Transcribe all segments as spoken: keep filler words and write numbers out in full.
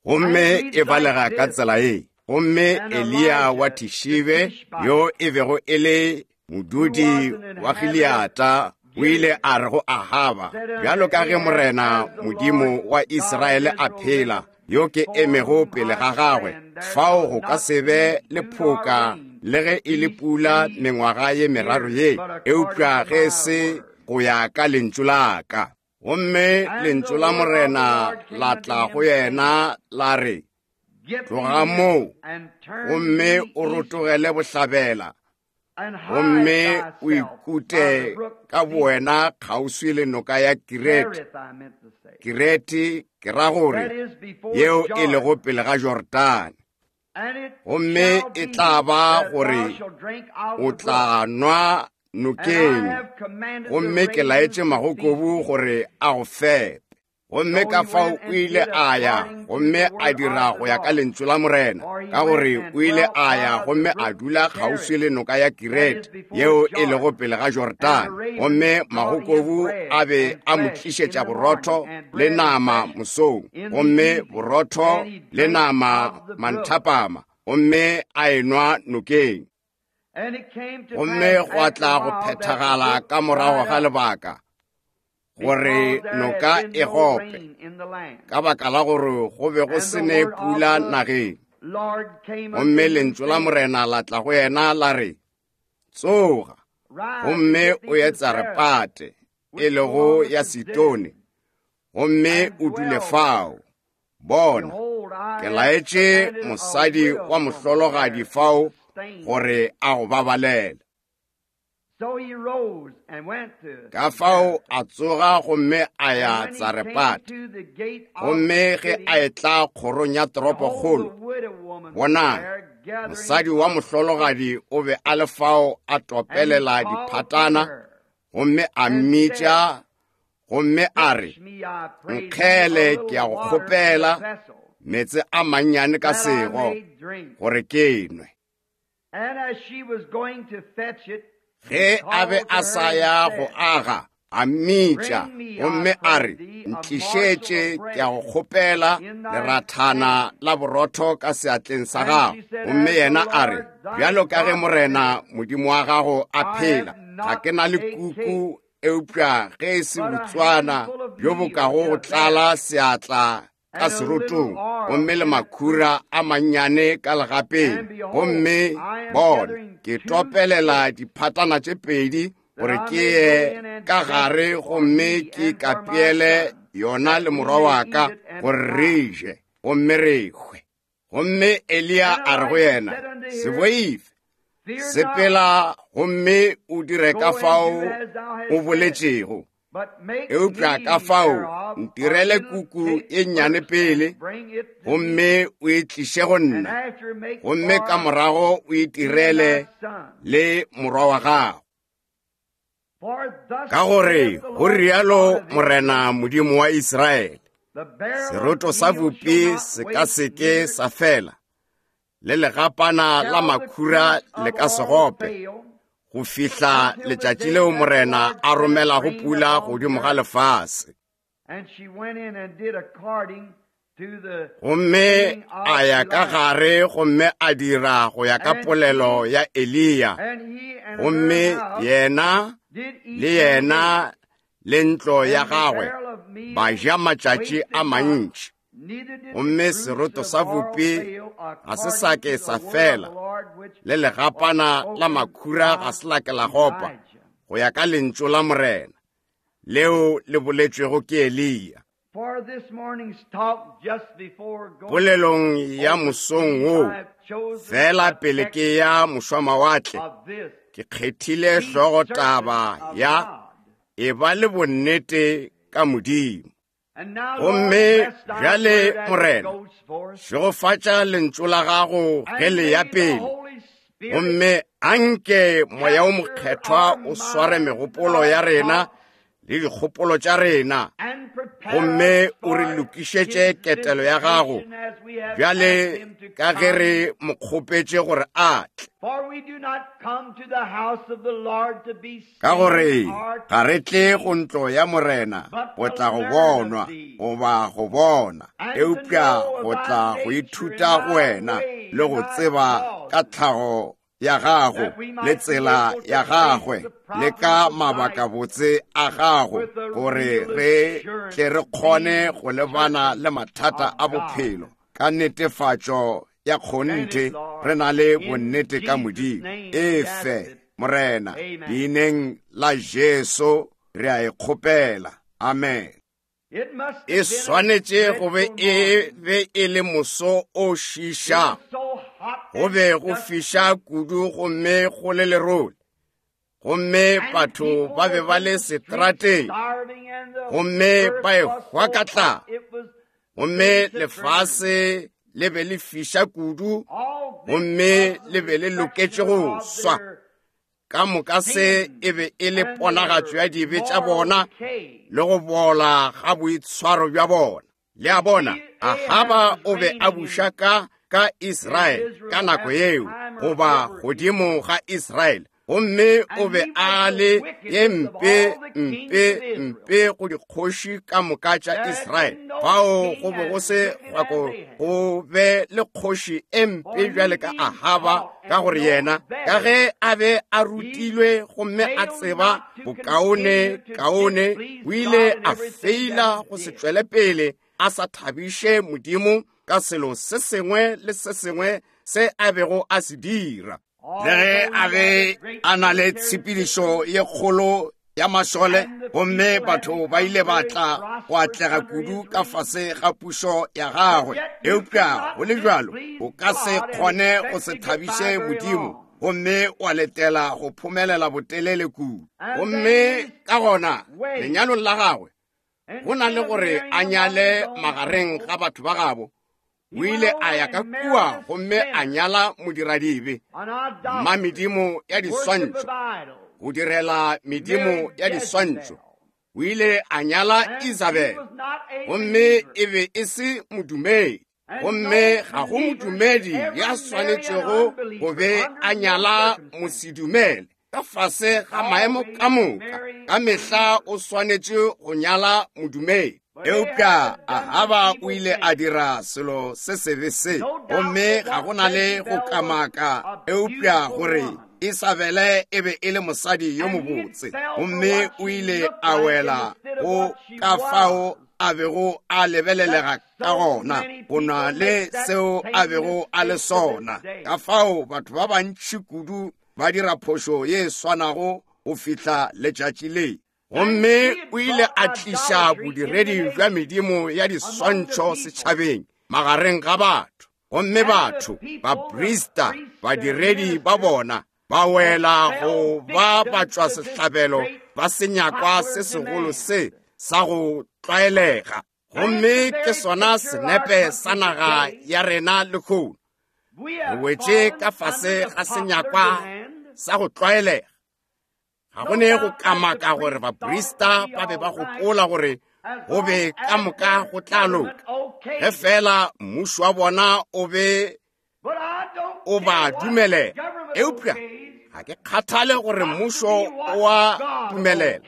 Gomme e balega ka tsela ye. Gomme Eliya wa Tishibe, yo e bego e le modudi wa Gileata, o ile a re go Ahaba, bjalo ka ge Morena Modimo wa Israele a phela, yo ke emego pele ga gagwe, fao go ka se be le phoka le ge e le pula mengwaga ye meraro ye, eupša ge se go ya ka lentšu la ka. Gomme lentšu la Morena la tla go yena la re, tloga moo gomme o rotogele bohlabela, gomme o ikute ka bowena kgauswi le noka ya Kirete. Kirete ke ra gore yeo e lego pele ga Jordane. Gomme e tla ba gore o tla nwa nokeng, gomme ke laetše magokobu gore a go fepe. Gomme ka fao o ile a ya gomme a dira go ya ka lentšu la Morena, ka gore o ile a ya gomme a dula kgauswi le noka ya Kirete, yeo e lego pele ga Jordane. Gomme magokobu a be a mo tlišetša borotho le nama mosong, gomme borotho le nama manthapama, gomme a enwa nokeng. Gomme gwa tla go phethagala ka morago ga lebaka gore noka e gope, ka baka la gore go be go se ne pula nageng. Gomme lentšu la Morena la tla go yena la re, tsoga gomme o ye Tsarepate, e lego ya Sidone, gomme o dule fao. Bona, ke laetše mosadi wa mohlologadi fao gore a go babalele. Ka fao a tsoga gomme a ya Tsarepate. Gomme ge a etla kgorong ya toropokgolo, bonang, mosadi wa mohlologadi o be a le fao a topelela diphatana, gomme a mmitša gomme a re, nkgele ke a go kgopela meetse a mannyane ka sego gore ke nwe. Ge a be a sa ya go aga, a mmitša gomme a re, ntlišetše ke a go kgopela lerathana la borotho ka seatleng sa gago. Gomme yena a re, bjalo ka ge Morena Modimo wa gago a phela, ga ke na le kuku eupša ge e se botswana bjo bo kago go tlala seatla ka serotong, gomme le makhura a mannyane ka legapeng. Gomme bona, ke topelela diphatana tše pedi gore ke ye ka gare gomme ke kapeele yona le morwa wa ka gore re je gomme re hwe. Gomme Eliya a re go yena, se boife, sepela gomme o dire ka fao o boletšego, eupša ka fao ntirele kuku e nnyane pele, gomme o e tliše go nna, gomme ka morago o itirele le morwa wa gago. Ka gore go rialo Morena Modimo wa Israele, seroto sa bupi se ka se ke sa fela, le legapana la makhura le ka se gope, go fihla letšatši leo Morena a romelago pula godimo ga lefase. Gomme a ya ka gare gomme a dira go ya ka polelo ya Eliya, gomme yena le yena le ntlo ya gagwe ba ja matšatši a mantši. Gomme seroto sa bupi ga se sa ke sa fela, le legapana la makhura ga se la ke la gopa, go ya ka lentšu la Morena leo le boletšwego ke Eliya. Polelong ya mosong wo, fela pele ke ya mošwamawatle, ke kgethile hlogotaba ya e ba le bonnete ka Modimo. Gomme bjale Morena, šegofatša lentšu la gago ge le ya pele, gomme anke Moya o Mokgethwa o sware megopolo ya rena le dikgopolo tša rena, gomme o re lokišetše ketelo ya gago bjale ka ge re mo kgopetše gore a tle. Ka gore ga re tle go ntlo ya Morena go tla go bonwa goba go bona, eupša go tla go ithuta go wena le go tseba ka tlhago ya gago le tsela ya gagwe le ka mabakabotse a gago, gore re tle re kgone go lebana le mathata a bophelo ka netefatšo ya kgonthe re na le bonnete ka Modimo. Efe Morena, leineng la Jesu re a e kgopela. Amen. E swanetše go be e be e le moso o šiša, go be go fiša kudu gomme go le lerole, gomme batho ba be ba le seterateng, gomme ba ehwa ka tlala, gomme lefase le be le fiša kudu, gomme le be le loketše go swa. Ka moka se e be e le ponagatšo ya dibe tša bona le go bola ga boitshwaro bja bona. Le a bona, Ahaba o be a buša ka ka Israele ka nako yeo, goba godimo ga Israele, gomme o be a le ye mpe mpe mpe go dikgoši ka moka tša Israele. Fao go be go se kgwako go be le kgoši e mpe bjale ka Ahaba, ka gore yena ka ge a be a rutilwe gomme a tseba bokaone kaone, o ile a feila go se tšwele pele a sa thabiše Modimo ka selo se sengwe le se sengwe se a bego a se dira. Le ge a be a na le tshepedišo ye kgolo ya mašole, gomme batho ba ile ba tla go atlega kudu ka fase ga pušo ya gagwe, eupša go le bjalo o ka se kgone go se thabiše Modimo gomme wa letela go phomelela botelele kudu. Gomme ka gona lenyalong la gagwe, go na le gore a nyale magareng ga batho ba gabo, o ile a ya ka kua gomme a nyala modiradibe, mma medimo ya diswantšho, go direla medimo ya diswantšho. O ile a nyala Isabel, gomme e be e se modumedi, gomme ga go modumedi ya swanetšego go be a nyala mosedumele ka fase ga maemo ka moka. Ka mehla o swanetše go nyala modumedi. Eupša Ahaba o ile a dira selo se sebe se, gomme ga go na le go kamaka eupša gore Isabele e be e le mosadi yo mobotse, gomme o ile a wela go ka fao a bego a lebelelega ka gona, go na le seo a bego a le sona. Ka fao batho ba bantši kudu ba dira phošo ye swanago go fihla letšatši le. Gomme o ile a tliša bodiredi bja medimo ya diswantšho setšhabeng magareng ga batho, gomme batho, baprista, badiredi ba bona ba wela go ba batšwa sehlabelo ba senyakwa se segolo se sa go tlwaelega. Gomme ke sona senepe sa naga ya rena lehono. Re wetše ka fase ga senyakwa sa go tlwaelega. Ga go ne go kamaka gore baprista ba be ba gopola gore go be ka moka go tla loka, ge fela mmušo wa bona o be o ba dumelela. Eupša ga ke kgathale gore mmušo o a dumelela,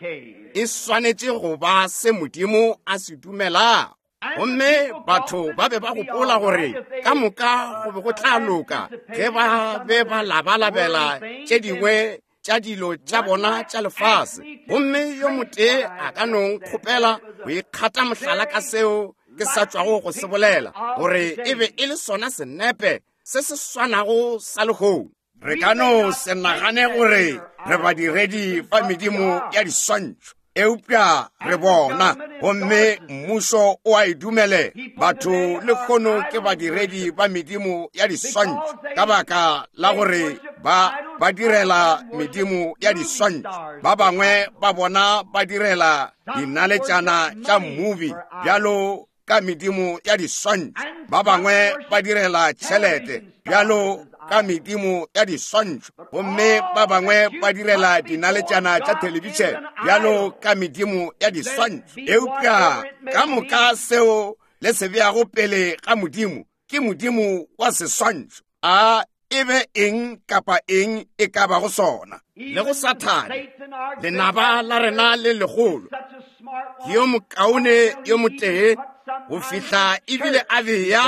e swanetše go ba se Modimo a se dumelago. Gomme batho ba be ba gopola gore ka moka go be go tla loka ge ba be ba labalabela tše dingwe tša dilo tša bona tša lefase. Gomme yo motee a ka no nkgopela go ikgata mohlala ka seo ke sa tšwago go se bolela, gore e be e le sona senepe se se swanago sa lehono. Re ka no se nagane gore re badiredi ba medimo ya diswantšho, eupša re bona, gomme mmušo o a e dumelela. Batho lehono ke badiredi ba medimo ya diswantšho ka baka la gore ba ba direla medimo ya diswantšho. Ba bangwe ba bona ba direla dinaletšana tša mmubi bjalo ka medimo ya diswantšho, ba bangwe ba direla tšhelete bjalo ka medimo ya diswantšho, gomme ba bangwe ba direla dinaletšana tša thelebišene bjalo ka medimo ya diswantšho. Eupša ka moka seo le se beago pele ga Modimo ke modimo wa seswantšho, a e be eng kapa eng e ka bago sona. Le go Sathane, lenaba la rena le legolo, ke yo mokaone yo motee go fihla ebile a bea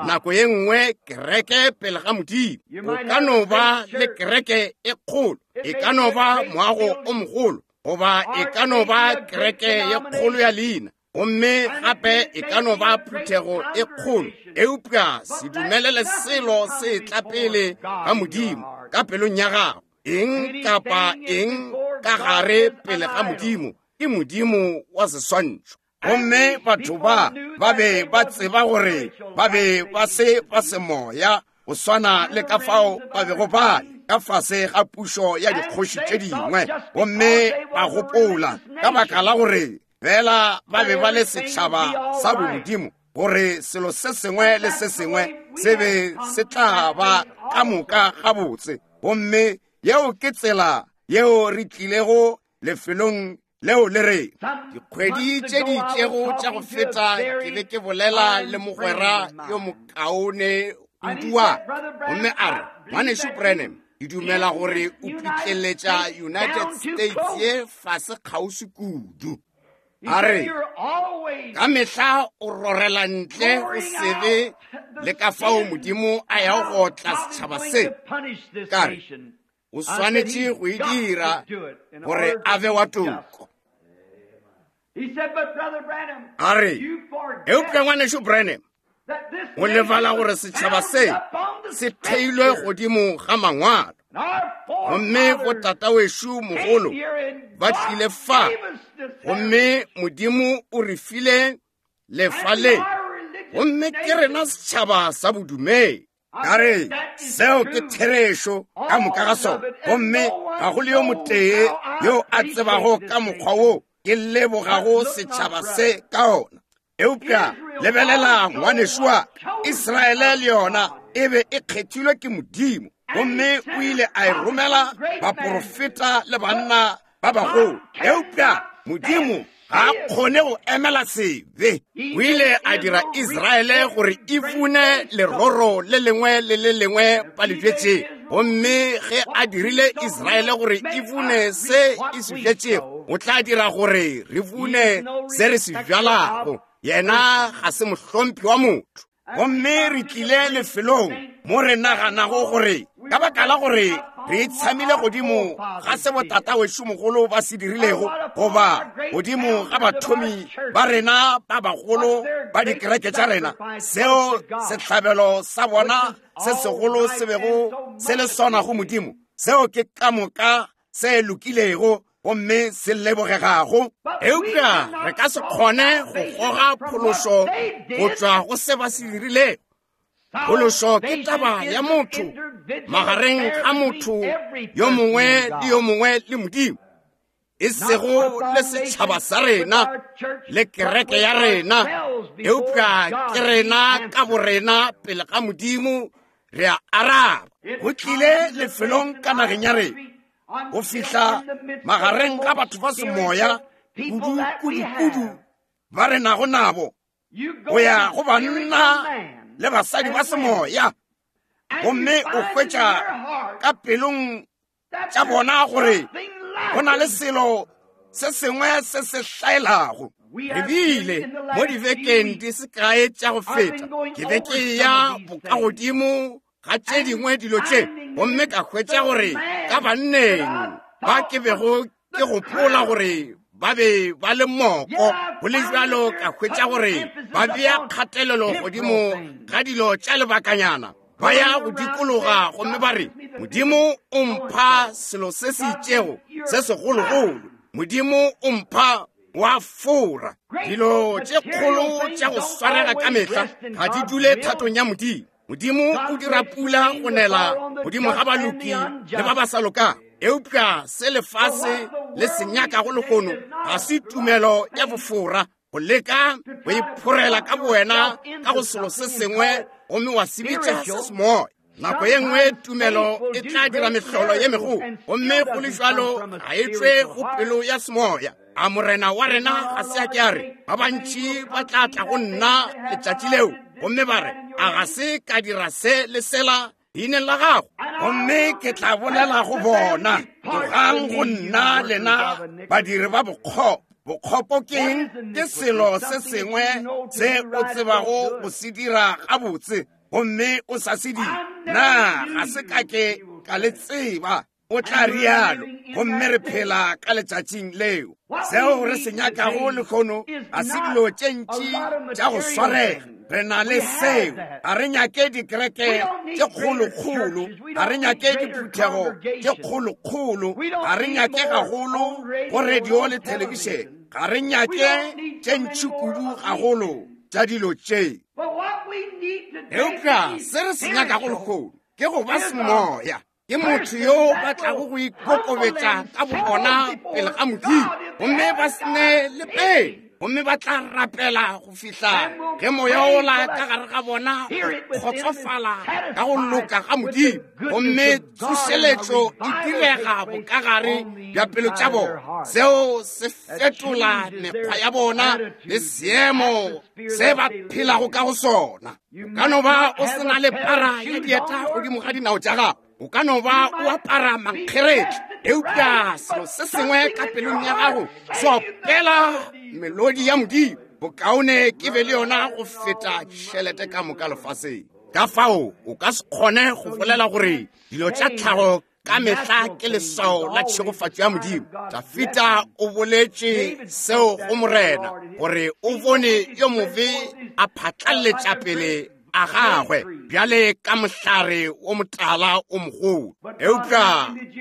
nako ye nngwe kereke pele ga Modimo. O ka no ba le kereke e kgolo, e ka no ba moago o mogolo, goba e ka no ba kereke ye kgolo ya leina, gomme gape e ka no ba phuthego e kgolo, eupša se dumelele selo se tla pele ga Modimo ka pelong ya gago. Eng kapa eng ka gare pele ga Modimo ke modimo wa seswantšho. Gomme batho ba ba be ba tseba gore ba be ba se ba semoya go swana le ka fao ba bego ba le ka fase ga pušo ya dikgoši tše dingwe, gomme ba gopola ka baka la gore fela ba be ba le setšhaba sa bomodimo gore selo se sengwe le se sengwe se be se tla ba ka moka gabotse. Gomme yeo ke tsela yeo re tlilego lefelong leo le re dikgwedi tše di itšego tša go feta ke be ke bolela le mogwera yo mokaone kudu wa ka, gomme a re, Ngwanešu Branham, ke dumela gore o pitleletša United States ye fase kgauswi kudu. A re, ka mehla o rorela ntle go sebe le ka fao Modimo a yago go otla setšhaba se. Ka re, o swanetše go e dira gore a be wa toko. A re, eupša Ngwanešu Branham, o lebala gore setšhaba se se theilwe godimo ga mangwalo, gomme botatawešo mogolo ba tlile fa, gomme Modimo o re file lefa le, gomme ke rena setšhaba sa bodumedi. Ka re, seo ke therešo ka moka ga sona, gomme ga go le yo motee yo a tsebago ka mokgwa wo ke lebogago setšhaba se ka ona. Eupša lebelela ngwanešu wa Israele le yona e be e kgethilwe ke Modimo, gomme o ile a e romela baporofeta le banna ba bagolo. Eupša Modimo ga a kgone go emela sebe. O ile a dira Israele gore e bune leroro le lengwe le le lengwe ba le bjetšego, gomme ge a dirile Israele gore e bune se e se bjetšego, o tla dira gore re bune se re se bjalago. Yena ga se mohlomphi wa motho. Gomme re tlile lefelong mo re naganago gore ka baka la gore re itshamile godimo ga se botatawešo mogolo ba se dirilego, goba godimo ga bathomi ba rena ba bagolo ba dikereke tša rena, seo sehlabelo sa bona se segolo se bego se le sona go Modimo, seo ke ka moka se lokilego gomme se lebogegago. Eupša re ka se kgone go goga phološo go tšwa go se ba se dirilego. Phološo ke taba ya motho magareng ga motho yo mongwe le yo mongwe le Modimo, e sego le setšhaba sa rena le kereke ya rena, eupša ke rena ka borena pele ga Modimo re a araba. Go tlile lefelong ka nageng ya rena go fihla magareng ga batho ba semoya kudu kudu kudu ba re nago nabo, go ya go banna le basadi ba semoya, gomme o hwetša ka pelong tša bona gore go na le selo se sengwe se se hlaelago. Re bile mo dibekeng di se kae tša go feta, ke be ke ya bokagodimo ga tše dingwe dilo tše, gomme ka hwetša gore ka banneng ba ke bego ke gopola gore ba be ba le moko, go le bjalo ka hwetša gore ba bea kgatelelo godimo ga dilo tša lebakanyana, ba ya go dikologa gomme ba re, Modimo o mpha selo se se itšego se segologolo, Modimo o mpha wa fora. Dilo tše kgolo tša go swarega ka mehla ga di dule thatong ya Modimo. Modimo o dira pula go nela godimo ga baloki le ba ba sa lokang, eupša se lefase le se nyakago lehono ga se tumelo ya bofora, go leka go iphorela ka bowena ka go selo se sengwe gomme wa se bitša se semoya. Nako ye nngwe tumelo e tla dira mehlolo ye megolo, gomme go le bjalo ga e tšwe go pelo ya semoya. A morena wa rena ga se a ke a re ba bantši ba tla tla go nna letšatši leo gomme ba re a ga se ka dira se le sela leineng la gago, gomme ke tla bolela go bona, tlogang go nna lena badiri ba bokgopo. Bokgopo ke eng? Ke selo se sengwe se o tsebago go se dira gabotse gomme o sa se dire. Na ga se ka ke ka le tseba? O tla rialo. Gomme re phela ka letšatšing leo. Seo re se nyakago lehono ga se dilo tše ntši tša go swarega. Re na le seo. Ga re nyake dikereke tše kgolokgolo, ga re nyake diphuthego tše kgolokgolo, ga re nyake gagolo go radio le thelebišene, ga re nyake tše ntši kudu gagolo tša dilo tše. Eupša se re se nyakago lehono ke go ba semoya, ke motho yo ba tlago go ikokobetša ka bobona pele ga Modimo, gomme ba se ne le pele, gomme ba tla rapela go fihla ge moya ola ka gare ga bona o kgotsofala ka go loka ga Modimo, gomme tsošeletšo e direga bokagare bja pelo tša bona. Seo se fetola mekgwa ya bona le seemo se ba phelago ka go sona. O ka no ba o se na le para ya dieta godimo ga dinao tša gago, o ka no ba o apara mankgeretla, eupša selo se sengwe ka pelong ya gago se opela melodi ya Modimo. Bokaone ke be le yona go feta tšhelete ka moka lefaseng. Ka fao o ka se kgone go bolela gore dilo tša tlhago ka mehla ke leswao la tšhegofatšo ya Modimo. Dafita o boletše seo go morena gore o bone yo mobe a phatlaletša pele a gagwe bjale ka mohlare wo motala o mogolo. Eupša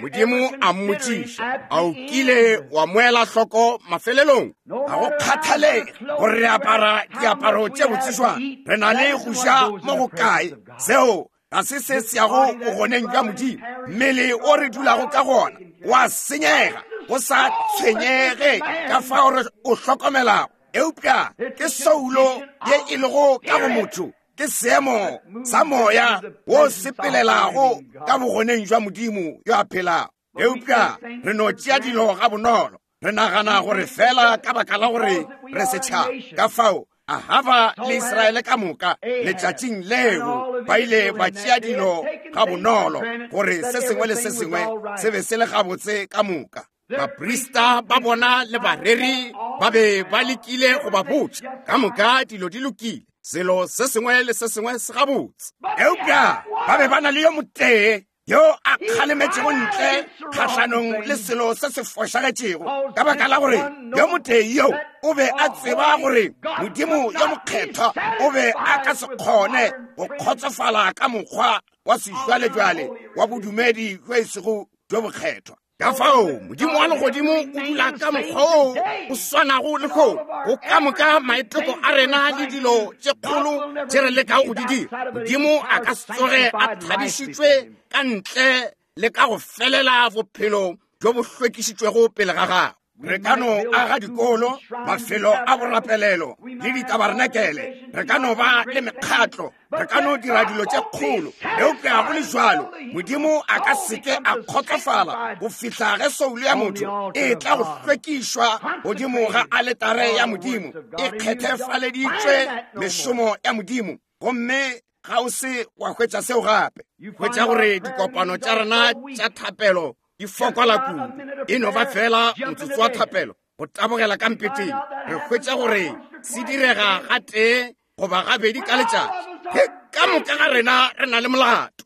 Modimo a mmotšiša, a o kile wa moela hloko mafelelong? Ga go kgathalege gore re apara diaparo tše botse jwang, re na le go ja mo go kae, seo ga se se se yago bogoneng bja Modimo. Mmele o re dulago ka gona wa senyega, go sa tshwenyege ka fao re o hlokomelago. Eupša ke soulo ye e lego ka go motho, ke seemo sa moya wo sepelelago ka bogoneng jwa Modimo yo a phelago. Eupša re no tšea dilo ga bonolo, re nagana gore fela ka baka la gore re setšhaba. Ka fao Ahaba le Israele ka moka letšatšing leo ba ile ba tšea dilo ga bonolo, gore se sengwe le se sengwe se be se le gabotse ka moka. Baprista ba bona le bareri ba be ba lekile go ba botša ka moka dilo di lokile, selo se sengwe le se sengwe se gabotse. Eupša ba be ba na le yo motee yo a kgalemetšego ntle kgahlanong le selo se se fošagetšego, ka baka la gore yo motee yo o be a tseba gore Modimo yo mokgethwa o be a ka se kgone go kgotsofala ka mokgwa wa sejwalejwale wa bodumedi bjo e sego bjo bokgethwa. Ka fao Modimo wa legodimo o dula ka mokgwa wo o swanago le kgono go ka moka maiteko a rena le dilo tše kgolo tše re lekago go di dira. Modimo a ka se tsoge a thabišitšwe ka ntle le ka go felela bophelo bjo bo hlwekišitšwego pele ga gagwe. Re ka no aga dikolo, mafelo a borapelelo le ditabarenakele, re ka no ba le mekgatlo, re ka no dira dilo tše kgolo, eupša go le jwalo Modimo a ka seke a kgotsofala go fihla ge soulo ya motho e tla go hlwekišwa godimo ga aletare ya Modimo, e kgethefaleditšwe mešomo ya Modimo, gomme ga o se wa hwetša seo gape. Hwetša gore dikopano tša rena tša thapelo di fokola kudu, e no ba fela motsotso wa thapelo go tabogela ka mpeteng. Re hwetša gore se direga gatee goba gabedi ka letšatši. Ge ka moka ga rena re na le molato,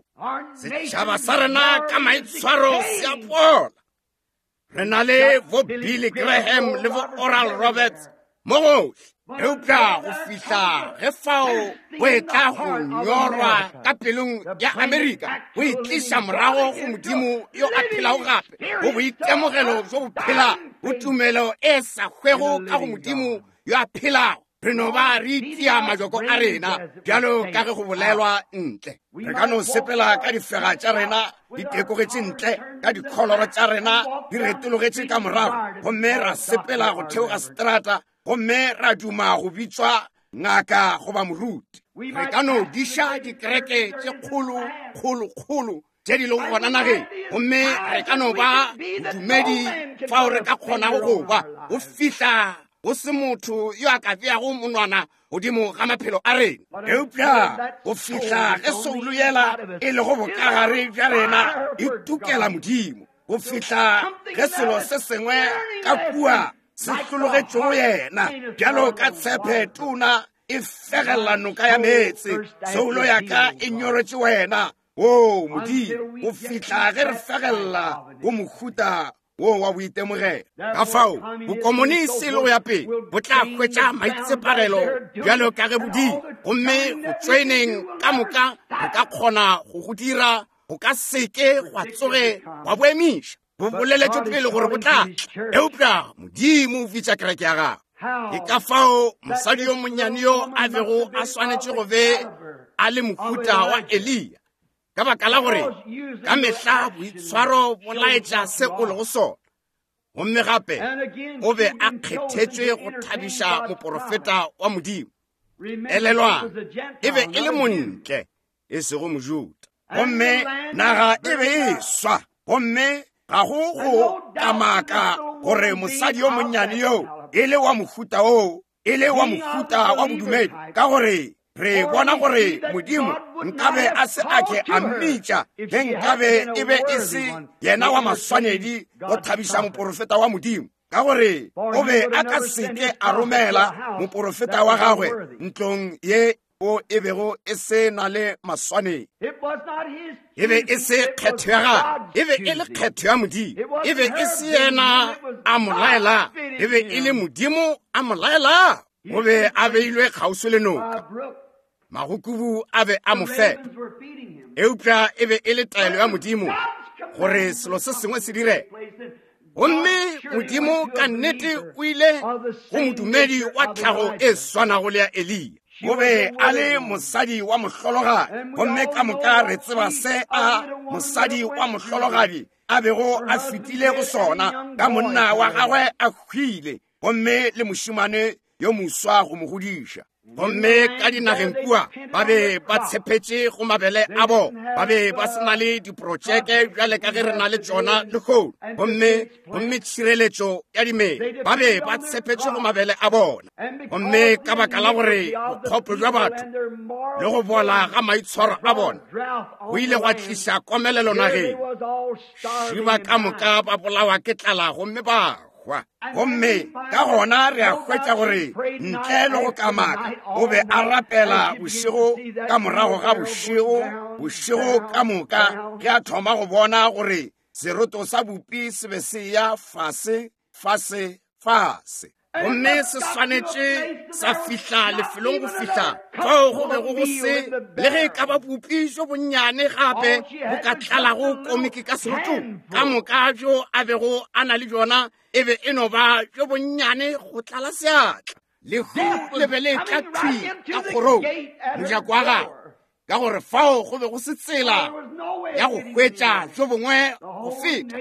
setšhaba sa rena ka maitshwaro se a bola. Re na le bo Billy Graham le bo Oral Roberts mo gohle, eupša go fihla ge fao go etla go nyorwa ka pelong ya Amerika, go e tliša morago go Modimo yo a phelago gape, go boitemogelo bjo bo phelago, go tumelo e sa hwego ka go Modimo yo a phelago. Re no ba re itia majoko a rena bjalo ka ge go bolelwa ntle. Re ka no sepela ka difega tša rena di tekogetše ntle, ka dikholoro tša rena di retologetše ka morago, gomme ra sepela go theoga seterata, gomme ra duma go bitšwa ngaka goba moruti. Re ka no diša dikereke tše kgolo kgolo kgolo tše di lego gona nageng, gomme re ka no ba bodumedi fao re ka kgonago go ba go fihla go se motho yo a ka beago monwana godimo ga maphelo a rena. Eupša go fihla ge soulo yela e lego bokagare bja rena e tukela Modimo, go fihla ge selo se sengwe ka kua se hlologetšego yena bjalo ka tshepe tona e fegela noka ya meetse, soulo ya ka e nyoretše wena, o Modimo, go fihla ge re fegela go mohuta wo wa boitemogelo. Ka fao bokomonisi le go ya pele bo tla hwetša maitsepagelo bjalo ka ge bodimo, gomme go tšoeneng ka moka re ka kgona go go dira go ka seke gwa tsoge gwa bo emiša. Bo boleletšwe pele gore bo tla tla, eupša Modimo o bitša kereke ya gagwe. Ke ka fao mosadi yo monnyane yo a bego a swanetše go be a le mohuta wa Eliya, ka baka la gore ka mehla boitshwaro bo laetša se o lego sona. Gomme gape o be a kgethetšwe go thabiša moporofeta wa Modimo. Elelwang, e be e le montle, e sego Mojuda. Gomme naga e be e swa, gomme ga go go kamaka gore mosadi yo monnyane yo e le wa mohuta oo, e le wa mohuta wa bodumedi, ka gore re bona gore Modimo nkabe a se ake a mmitša ge nkabe e be e se yena wa maswanedi go thabiša moporofeta wa Modimo, ka gore o be a ka seke a romela moporofeta wa gagwe ntlong ye o e bego e se na le maswanedi. E be e se kgetho ya gagwe, e be e le kgetho ya Modimo. E be e se yena a mo laela, e be e le Modimo a mo laela. O be a beilwe kgauswi le noka, magokubu a be a mo fepa, eupša e be e le taelo ya Modimo gore selo se sengwe se dire. Gomme Modimo ka nnete o ile go modumedi wa tlhago e swanago le ya Eliya. O be a le mosadi wa mohlologadi, gomme ka moka re tseba se a mosadi wa mohlologadi a bego a fetile go sona, ka monna wa gagwe a hwile, gomme le mošemane yo moswa go mo godiša. Gomme ka dinageng kua ba be ba tshepetše go mabele a bona, ba be ba se na le diprotšeke bjale ka ge re na le tšona lehono, gomme gomme tšhireletšo ya dimela, ba be ba tshepetše go mabele a bona. Gomme ka baka la gore bokgopo bja batho le go bola ga maitshwaro a bona go ile gwa tliša komelelo nageng, šiba ka moka ba bolawa ke tlala gomme ba hwa. Gomme ka gona re a hwetša gore ntle le go kamaka o be a rapela bošego ka morago ga bošego, bošego ka moka, ge a thoma go bona gore seroto sa bupi se be se ya fase fase fase, gomme se swanetše sa fihla lefelong go fihla fao go bego go se le ge e ka ba bupi jo bonnyane gape bo ka tlalago komiki ka serotong. Ka moka bjo a bego a na le bjona e be e no ba jo bonnyane go tlala seatla. Lehu le be le tla thwi ka kgorong mojako wa gagwe, ka gore fao go be go se tsela ya go hwetša jo bongwe go feta.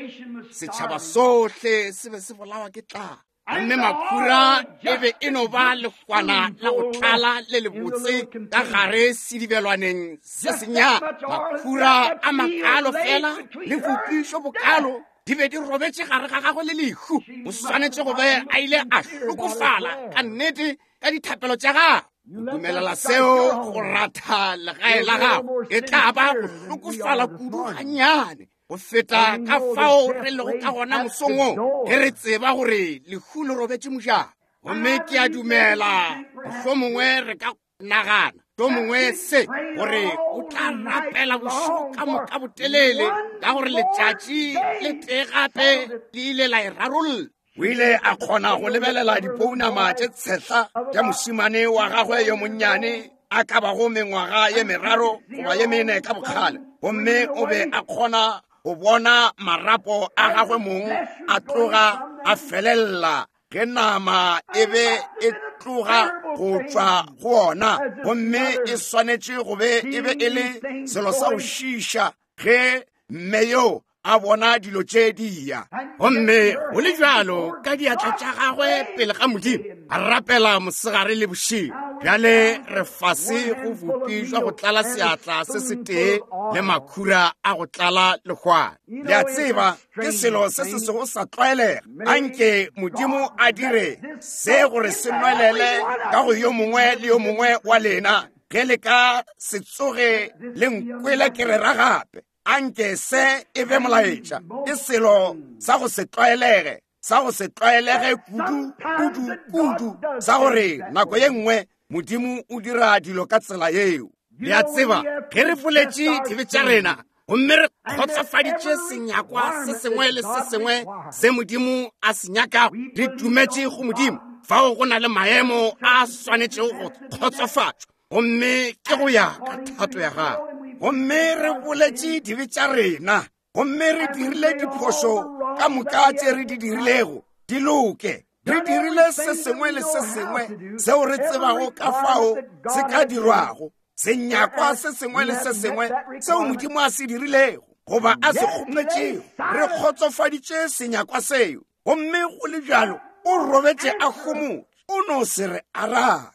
Setšhaba sohle se be se bolawa ke tlala, gomme makhura e be e no ba lehwana la go tlala le lebotse ka gare sedibelwaneng se sennyane. Makhura a makalo fela le bopišo bokalo di be di robetše gare ga gagwe le lehu. O swanetše go be a ile a hlokofala ka nnete ka dithapelo tša gagwe. O dumelela seo go ratha legae la gago, e tla ba go hlokofala kudu gannyane go feta ka fao re lego ka gona mosong wo, ge re tseba gore lehu le robetše mojako. Gomme ke a dumela mohlomongwe re ka nagana mohlomongwe se gore o tla rapela bošego ka moka botelele, ka gore letšatši le tee gape le ile la e rarolla. O ile a kgona go lebelela dipounama tše tshehla tša mošemane wa gagwe yo monnyane a ka bago mengwaga ye meraro goba ye mene ka bokgale, gomme o be a kgona go bona marapo a gagwe mong a tloga a felella ge nama e be e tloga go tšwa go ona, gomme e swanetše go be e be e le selo sa go šiiša ge mme yo a bona dilo tše di ya. Gomme go le bjalo ka diatla tša gagwe pele ga Modimo a rapela mosegare le bošego. Bjale re fase go bupi jwa go tlala seatla se setee le makhura a go tlala lehwana. Le a tseba ke selo se se sego sa tlwaelega. Anke Modimo a dire se gore se nwelele ka go yo mongwe le yo mongwe wa lena. Ge le ka se tsoge le nkwele ke rera gape, anke se e be molaetša. Ke selo sa go se tlwaelege, sa go se tlwaelege kudu kudu kudu, sa gore nako ye nngwe Modimo o dira dilo ka tsela yeo. Le a tseba ge re boletše dibe tša rena gomme re kgotsofaditše senyakwa se sengwe le se sengwe se Modimo a se nyakago, re dumetše go Modimo. Fao go na le maemo a swanetšego go kgotsofatšwa, gomme ke go ya ka thato ya gago. Gomme re boletše dibe tša rena, gomme re dirile diphošo ka moka tše re di dirilego di loke. Re dirile se sengwe le se sengwe seo re tsebago ka fao se ka dirwago, senyakwa se sengwe le se sengwe seo Modimo a se dirilego goba a se kgopetšego. Re kgotsofaditše senyakwa seo, gomme go le bjalo o robetše a homotše, o no se re arabe.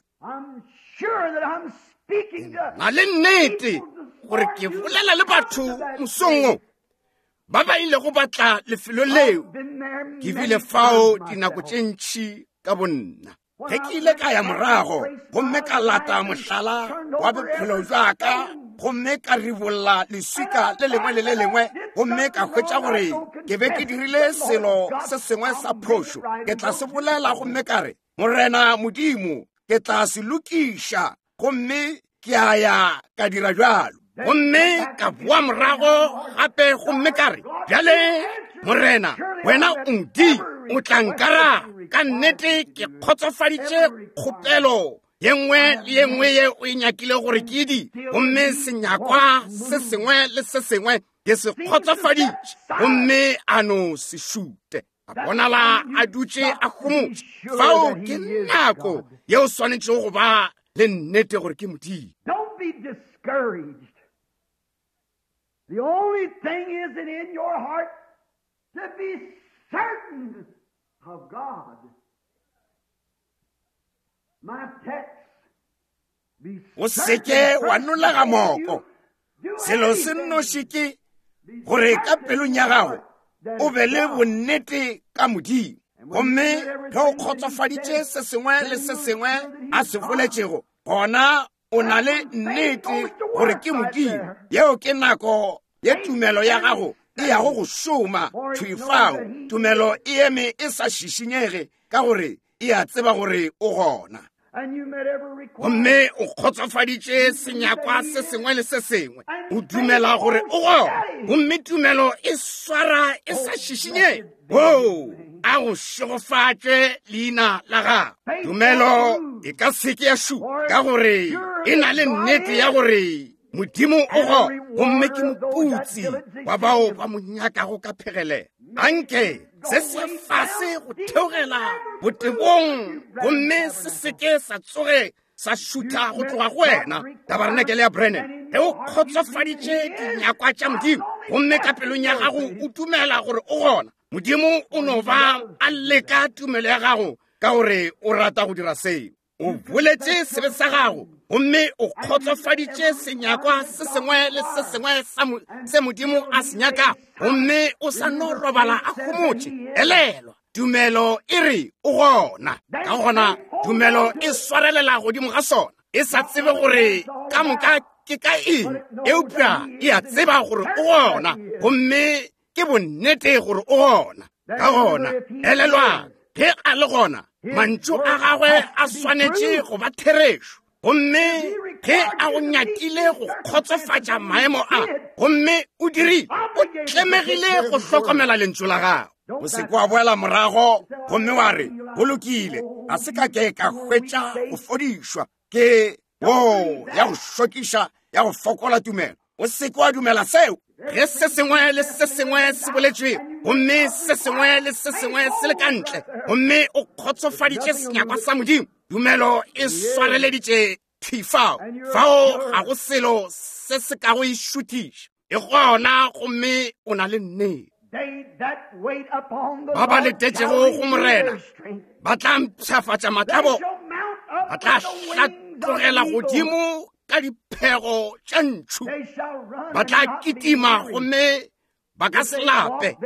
Na le nnete gore ke bolela le batho mosong wo ba ba ilego ba tla lefelo leo. Ke bile fao dinako tše ntši ka bonna. Ge ke ile ka ya morago gomme ka lata mohlala wa bophelo bja ka, gomme ka ribolla leswika le lengwe le le lengwe, gomme ka hwetša gore ke be ke dirile selo se sengwe sa phošo, ke tla se bolela gomme ka re, Morena Modimo, ke tla se lokiša, gomme ke a ya ka dira bjalo. Gomme ka boa morago gape gomme ka re, bjale Morena, wena o Modimo, o tla nkaraba. Ka nnete ke kgotsofaditše kgopelo ye nngwe le ye nngwe ye o e nyakile gore ke di, gomme senyakwa se sengwe le se sengwe ke se kgotsofaditše, gomme a no se šute. A bonala a dutše a homotše. Fao ke nako ye o swanetšego go ba le nnete gore ke Modimo. Don't be discouraged. The only thing is it in your heart to be certain of God. My text, be O seke wa nolega moko. Selo se nnoši ke gore ka pelong ya gago o be le bonnete ka Modimo. Gomme ge o kgotsofaditše se sengwe le se sengwe a se boletšego, gona o na le nnete gore ke Modimo. Yeo ke nako ye tumelo ya gago e yago go šoma thwi fao. Tumelo e eme e sa šišinyege ka gore e a tseba gore o gona. Gomme o kgotsofaditše senyakwa se sengwe le se sengwe, o dumela gore o gona, gomme tumelo e swara e sa šišinyege. Oo, a go šegofatše leina la gago. Tumelo e ka se ke ya šupa ka gore e na le nnete ya gore Modimo o gona, gomme ke moputsi wa bao ba mo nyakago ka phegelelo. Anke se se fase go theogela botebong, gomme se seke sa tsoge sa šutha go tloga go wena. Tabarenakele ya Branham, ge o kgotsofaditše dinyakwa tša Modimo, gomme ka pelong ya gago o dumela gore o gona, Modimo o no ba a leka tumelo ya gago ka gore o rata go dira seo. O boletše sebe sa gago, gomme o kgotsofaditše senyakwa se sengwe le se sengwe se Modimo a se nyakago, gomme o sa no robala a homotše. Elelwa, tumelo e re o gona. Ka gona tumelo e swarelela godimo ga sona, e sa tsebe gore ka moka ke ka eng, eupša e a tseba gore o gona, gomme ke bonnete gore o gona. Ka gona elelwang, ge a le gona, mantšu a gagwe a swanetše go ba therešo. Gomme ge a go nyakile go kgotsofatša maemo a, gomme o dirile, o tlemegile go hlokomela lentšu la gago. O se ke wa boela morago gomme wa re, go lokile, ga se ka ke ka hwetša go fodišwa ke wo ya go šokiša ya go fokola tumelo. O se ke wa dumela seo. Ge se sengwe le se sengwe se boletšwe, gomme se sengwe le se sengwe se le ka ntle, gomme o kgotsofaditše senyakwa sa Modimo, tumelo e swareleditše thwi fao. Fao ga go selo se se kago e šuthiša. E gona, gomme o na le nnete. Ba ba letetšego go Morena ba tla mpshafatša matlabo, ba tla tlogela godimo ka diphego tša ntšhu. Ba tla kitima gomme ba ka se lape.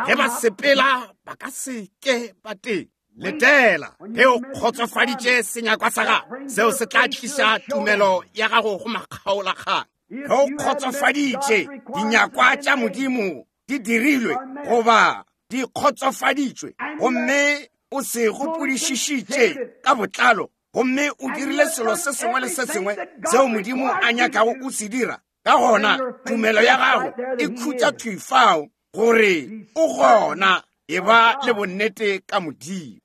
Ge ba sepela ba ka se ke ba teng. Letela ge o kgotsofaditše senyakwa sa gago, seo se tla tliša tumelo ya gago go makgaolakgang. Ge o kgotsofaditše dinyakwa tša Modimo di dirilwe goba di kgotsofaditšwe, gomme o se gopodišišitše ka botlalo, gomme o dirile selo se sengwe le se sengwe seo Modimo a nyakago o se dira, ka gona tumelo ya gago e khutša thwi fao gore o gona. E ba le bonnete ka Modimo.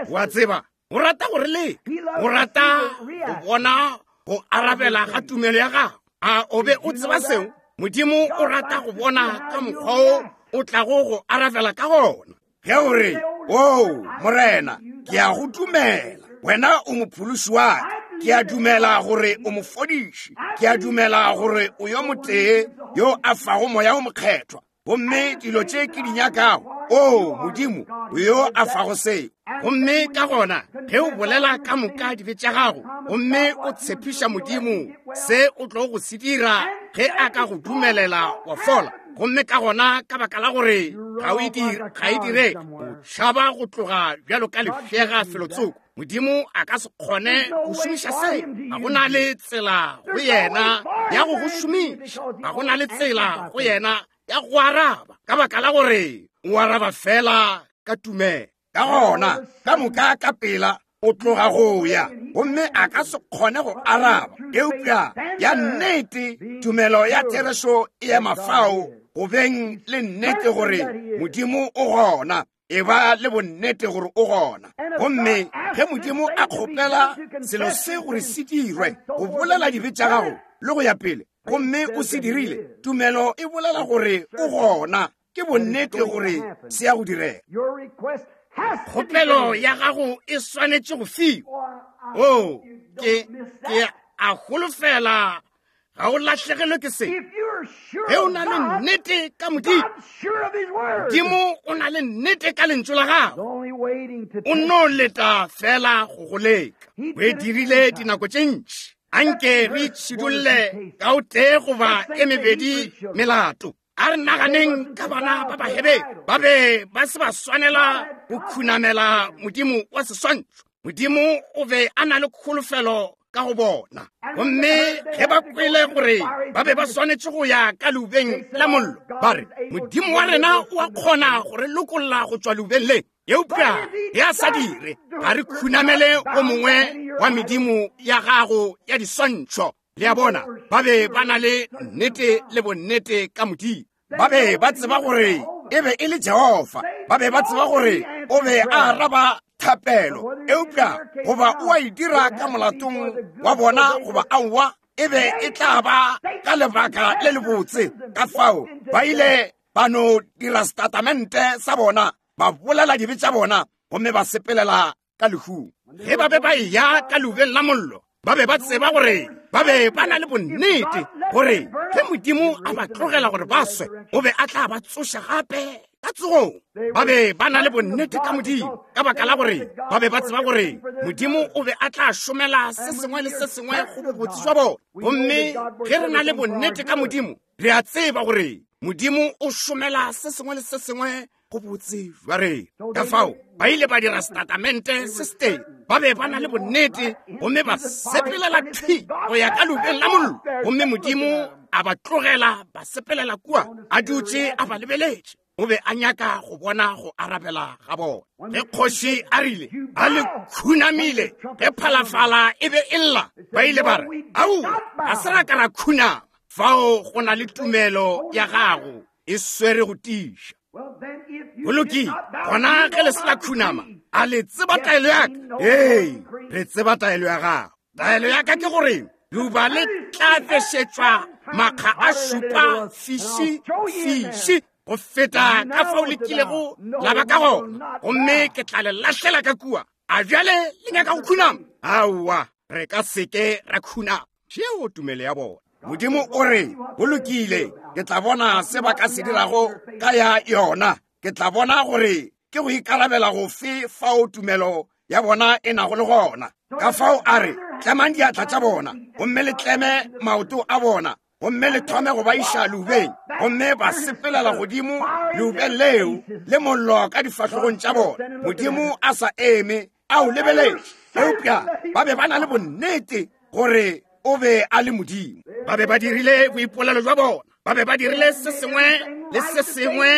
Wa tseba, o rata gore le o rata go bona go arabela ga tumelo ya gago. A o be o tseba seo? Modimo o rata go bona ka mokgwa o o tlago go arabela ka gona. Ge o re, o Morena, ke a go dumela, wena o mophološi wa ka, ke a dumela gore o mofodiši, ke a dumela gore o yo motee yo a fago moya o mokgethwa, gomme dilo tše ke di nyakago, o Modimo o yo a fago seo. Gomme ka gona ge o bolela ka moka dibe tša gago, gomme o tshepiša Modimo se o tlo go se dira ge a ka go dumelela wa fola, gomme ka gona ka baka la gore ga o ga e dire, o tšhaba go tloga bjalo ka lefšega felotsoko. Modimo a ka se kgone go šomiša se. Ga go na le tsela go yena ya go go šomiša, ga go na le tsela go yena ya go araba, ka baka la gore o araba fela ka tumelo. Ka gona ka moka ka pela o tloga go ya, gomme a ka se kgone go araba. Eupša ya nnete tumelo ya therešo e ema fao go beng le nnete gore Modimo o gona. E ba le bonnete gore o gona. Gomme ge Modimo a kgopela selo se gore se dirwe, go bolela dibe tša gago le go ya pele, gomme o se dirile, tumelo e bolela gore o gona. Ke bonnete gore se ya go direga. Kgopelo ya gago e swanetše go fiwa. O ke ke a holofela ga o lahlegelwe ke se. Ge o na le nnete ka Modimo, Modimo o na le nnete ka lentšu la gago, o no leta fela go go leka. O e dirile dinako tše ntši. Anke re itšhidulle ka o tee goba e mebedi melato. A re naganeng ka bana ba Bahebere, ba be ba se ba swanela go khunamela Modimo wa seswantšho. Modimo o be a na le kholofelo ka go bona. Gomme ge ba kwele gore ba be ba swanetše go ya ka leubeng la mollo, ba re, Modimo wa rena o a kgona go re lokolla go tšwa leubeng le, eupša ge a sa dire, ga re khunamele o mongwe wa medimo ya gago ya diswantšho. Le a bona, ba be ba na le nnete le bonnete ka Modimo. Ba be ba tseba gore e be e le Jehofa. Ba be ba tseba gore o be a araba thapelo, eupša goba o a e dira ka molatong wa bona goba aowa, e be e tla ba ka lebaka le lebotse. Ka fao ba ile ba no dira setatamente sa bona, ba bolela dibe tša bona, gomme ba sepelela ka lehung. Ge ba be ba eya ka leubeng la mollo, ba be ba tseba gore ba be ba na le bonnete gore ge Modimo a ba tlogela gore ba swe, o be a tla ba tsoša gape ka tsogong. Ba be ba na le bonnete ka Modimo, ka baka la gore ba be ba tseba gore Modimo o be a tla šomela se sengwe le se sengwe go bobotse jwa bona. Gomme ge re na le bonnete ka Modimo, re a tseba gore Modimo o šomela se sengwe le se sengwe go botse jwa rena. Ka fao ba ile ba dira setatamente se setee. Ba be ba na le bonnete, gomme ba sepelela thwi go ya ka leubeng la mollo, gomme Modimo a ba tlogela ba sepelela kua a dutše a ba lebeletše. O be a nyaka go bona go arabela ga bona. Ge kgoši a rile a le khunamile, ge phalafala e be e lla, ba ile ba re, aowa, ga se ra ka ra khunama. Fao go na le tumelo ya gago e swere go tiša. Go lokile, gona ge le se la khunama, a le tseba taelo ya ka? Ee, re tseba taelo ya gago. Taelo ya ka ke gore leuba le tla bešetšwa makga a šupa fiši fiši go feta ka fao le kilego la ba ka gona, gomme ke tla le lahlela ka kua. A bjale le nyaka go khunama? Aowa, re ka seke ra khunama. Tšeo tumelo ya bona. Modimo o re, go lokile, ke tla bona se ba ka se dirago ka ya yona. Ke tla bona gore ke go ikarabela gofe fao tumelo ya bona e nago le gona. Ka fao a re, Tlemang diatla tša bona, gomme le tleme maoto a bona, gomme le thome go ba iša leubeng. Gomme ba sepelela godimo leubeng leo le mollo ka difahlogong tša bona. Modimo a sa eme a o lebeletše, eupša ba be ba na le bonnete gore o be a le Modimo. Ba be ba dirile boipolelo jwa bona, ba be ba dirile se sengwe le se sengwe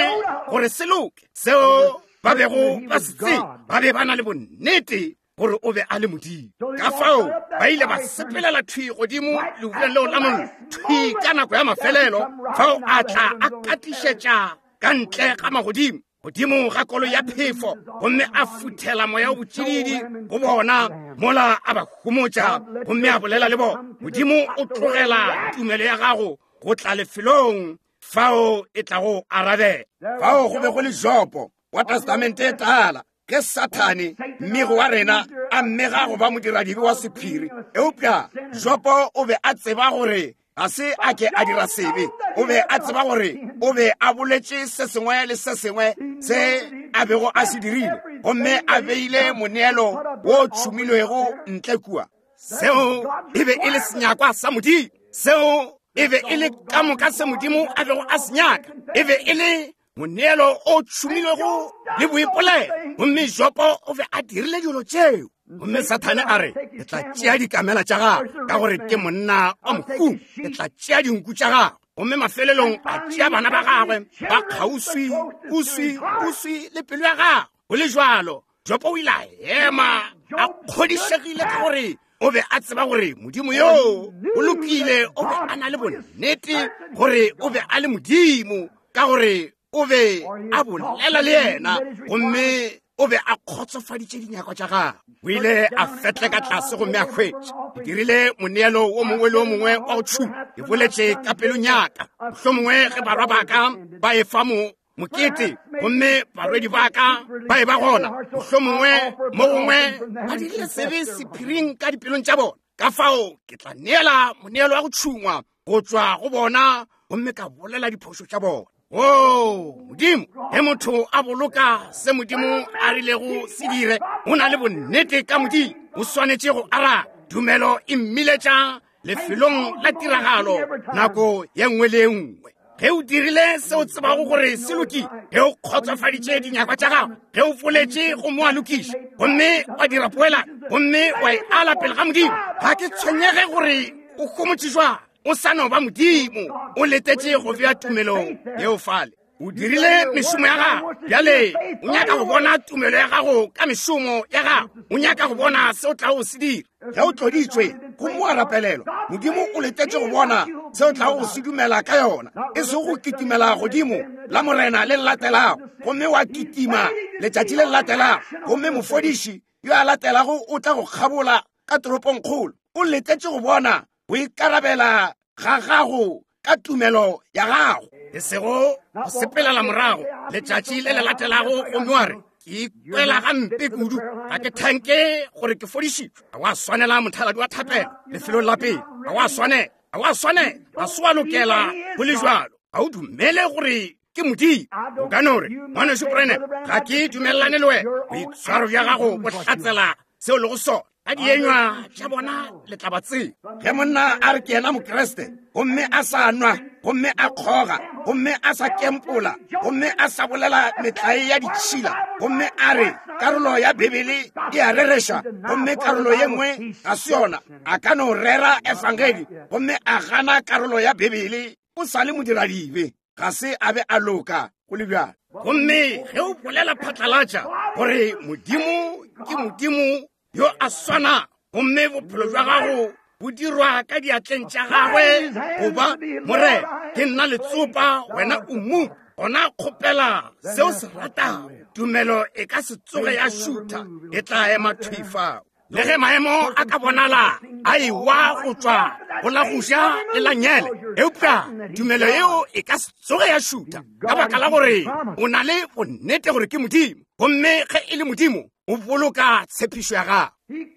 gore se loke seo ba bego ba se tseba. Ba be ba na le bonnete gore o be a le Modimo. Ka fao ba ile ba sepelela thwi godimo leubeng leo la mollo, thwi ka nako ya mafelelo, fao a tla a katišetša ka ntle ga magodimo, godimo ga kolo ya phefo, gomme a futhela moya o botšididi go bona mola a ba humotša gomme a bolela le bona. Modimo o tlogela tumelo ya gago go tla lefelong fao e tlago arabela. Fao go be go le Jopo wa Testamente e Tala, ke Sathane mmego wa rena a mmega go ba modiradibe wa sephiri. Eupša Jopo o be a tseba gore ga se a ke a dira sebe. O be a tseba gore o be a boletše se sengwe le se sengwe se a bego a se dirile, gomme a beile moneelo wo tšhumilwego ntle kua. Seo e be e le senyakwa sa Modimo. Seo e be e le ka moka se Modimo a bego a se nyaka. E be e le moneelo o tšhumilwego le boipolelo. Gomme Jopo o be a dirile dilo tšeo. Gomme Sathane a re, ke tla tšea dikamela tša gago ka gore ke monna wa mohumo, ke tla tšea dinku tša gago. Gomme mafelelong a tšea bana ba gagwe ba kgauswi uswi uswi le pelo ya gagwe. Go le jwalo, Jopo o ile a ema a kgodišegile ka gore o be a tseba gore Modimo yoo o lokile. O be a na le bonnete gore o be a le Modimo, ka gore o be a bolela le yena, gomme o be a kgotsofaditše dinyakwa tša gagwe. O ile a fetleka tlase gomme a hwetša. Ke dirile moneelo wo mongwe le wo mongwe wa go tšhuma. Ke boletše ka pelong ya ka, mohlomongwe ge barwa ba ka ba efa mo mokete, gomme barwedi ba ka ba e ba gona, mohlomongwe mo gongwe ba dirile sebe sephiring ka dipelong tša bona. Ka fao ke tla neela moneelo wa go tšhungwa go tšwa go bona, gomme ka bolela diphošo tša bona. O Modimo, ge motho a boloka se Modimo a rilego se dire, o na le bonnete ka Modimo. O swanetše go araba. Tumelo e mmiletša lefelong la tiragalo nako ye nngwe le ye nngwe. Ge o dirile se o tsebago gore se lokile, ge o kgotsofaditše dinyakwa tša gago, ge o boletše gomme wa lokiša, gomme wa dira poelano, gomme wa e ala pele ga Modimo, ga ke tshwenyege gore o homotše jwang, o sa no ba Modimo. O letetše go bea tumelo yeo fale. O dirile mešomo ya gago. Bjale o nyaka go bona tumelo ya gago ka mešomo ya gago. O nyaka go bona se o tlago se dira. Ge o tloditšwe gomme wa rapelelwa, Modimo o letetše go bona se o tlago go se dumela ka yona, e sego go kitimela godimo la Morena le le latelago, gomme wa kitima letšatši le le latelago, gomme mofodiši yo a latelago o tla go kgabola ka toropongkgolo. O letetše go bona go ikarabela ga gago ka tumelo ya gago, e sego go sepelela morago letšatši le le latelago gomme wa re, ke ikwela gampe kudu, ga ke thanke gore ke fodišitšwe. Ga wa swanela mothaladi wa thapelo lefelong la pele. Ga wa swanela, ga wa swanela, ga se wa lokela go le jwalo. Ga o dumele gore ke Modimo. O ka no re, ngwanešu Branham, ga ke dumelelane le wena. Boitshwaro bja gago bo hlatsela seo le go sona. Ka dienywa tša bona le tla ba tseba. Ge monna a re ke yena Mokriste, gomme a sa nwa, gomme a kgoga, gomme a sa kempola, gomme a sa bolela metlae ya ditšhila, gomme a re karolo ya Bibele e a rereša, gomme karolo ye nngwe ga se yona, a ka no rera efangedi gomme a gana karolo ya Bibele, o sa le modiradibe, ga se a be a loka go le bjalo. Gomme ge o bolela phatlalatša gore Modimo ke Modimo yo a swana, gomme bophelo bja gago bo dirwa ka diatleng tša gagwe, goba Morena, ke nna letsopa, wena o mmu, gona kgopela seo se ratago. Tumelo e ka se tsoge ya šutha, e tla ema thwi fao. Le ge maemo a ka bonala a ewa go tšwa go la go ja le la nyele, eupša tumelo yeo e ka se tsoge ya šutha, ka baka la gore o na le bonnete gore ke Modimo, gomme ge e le Modimo o boloka tshepišo ya gagwe.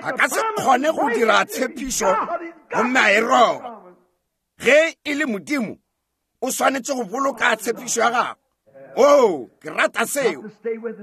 A ka se kgone go dira tshepišo gomme a e roba. Ge e le Modimo, o swanetše go boloka tshepišo ya gagwe. Oh, ke rata seo.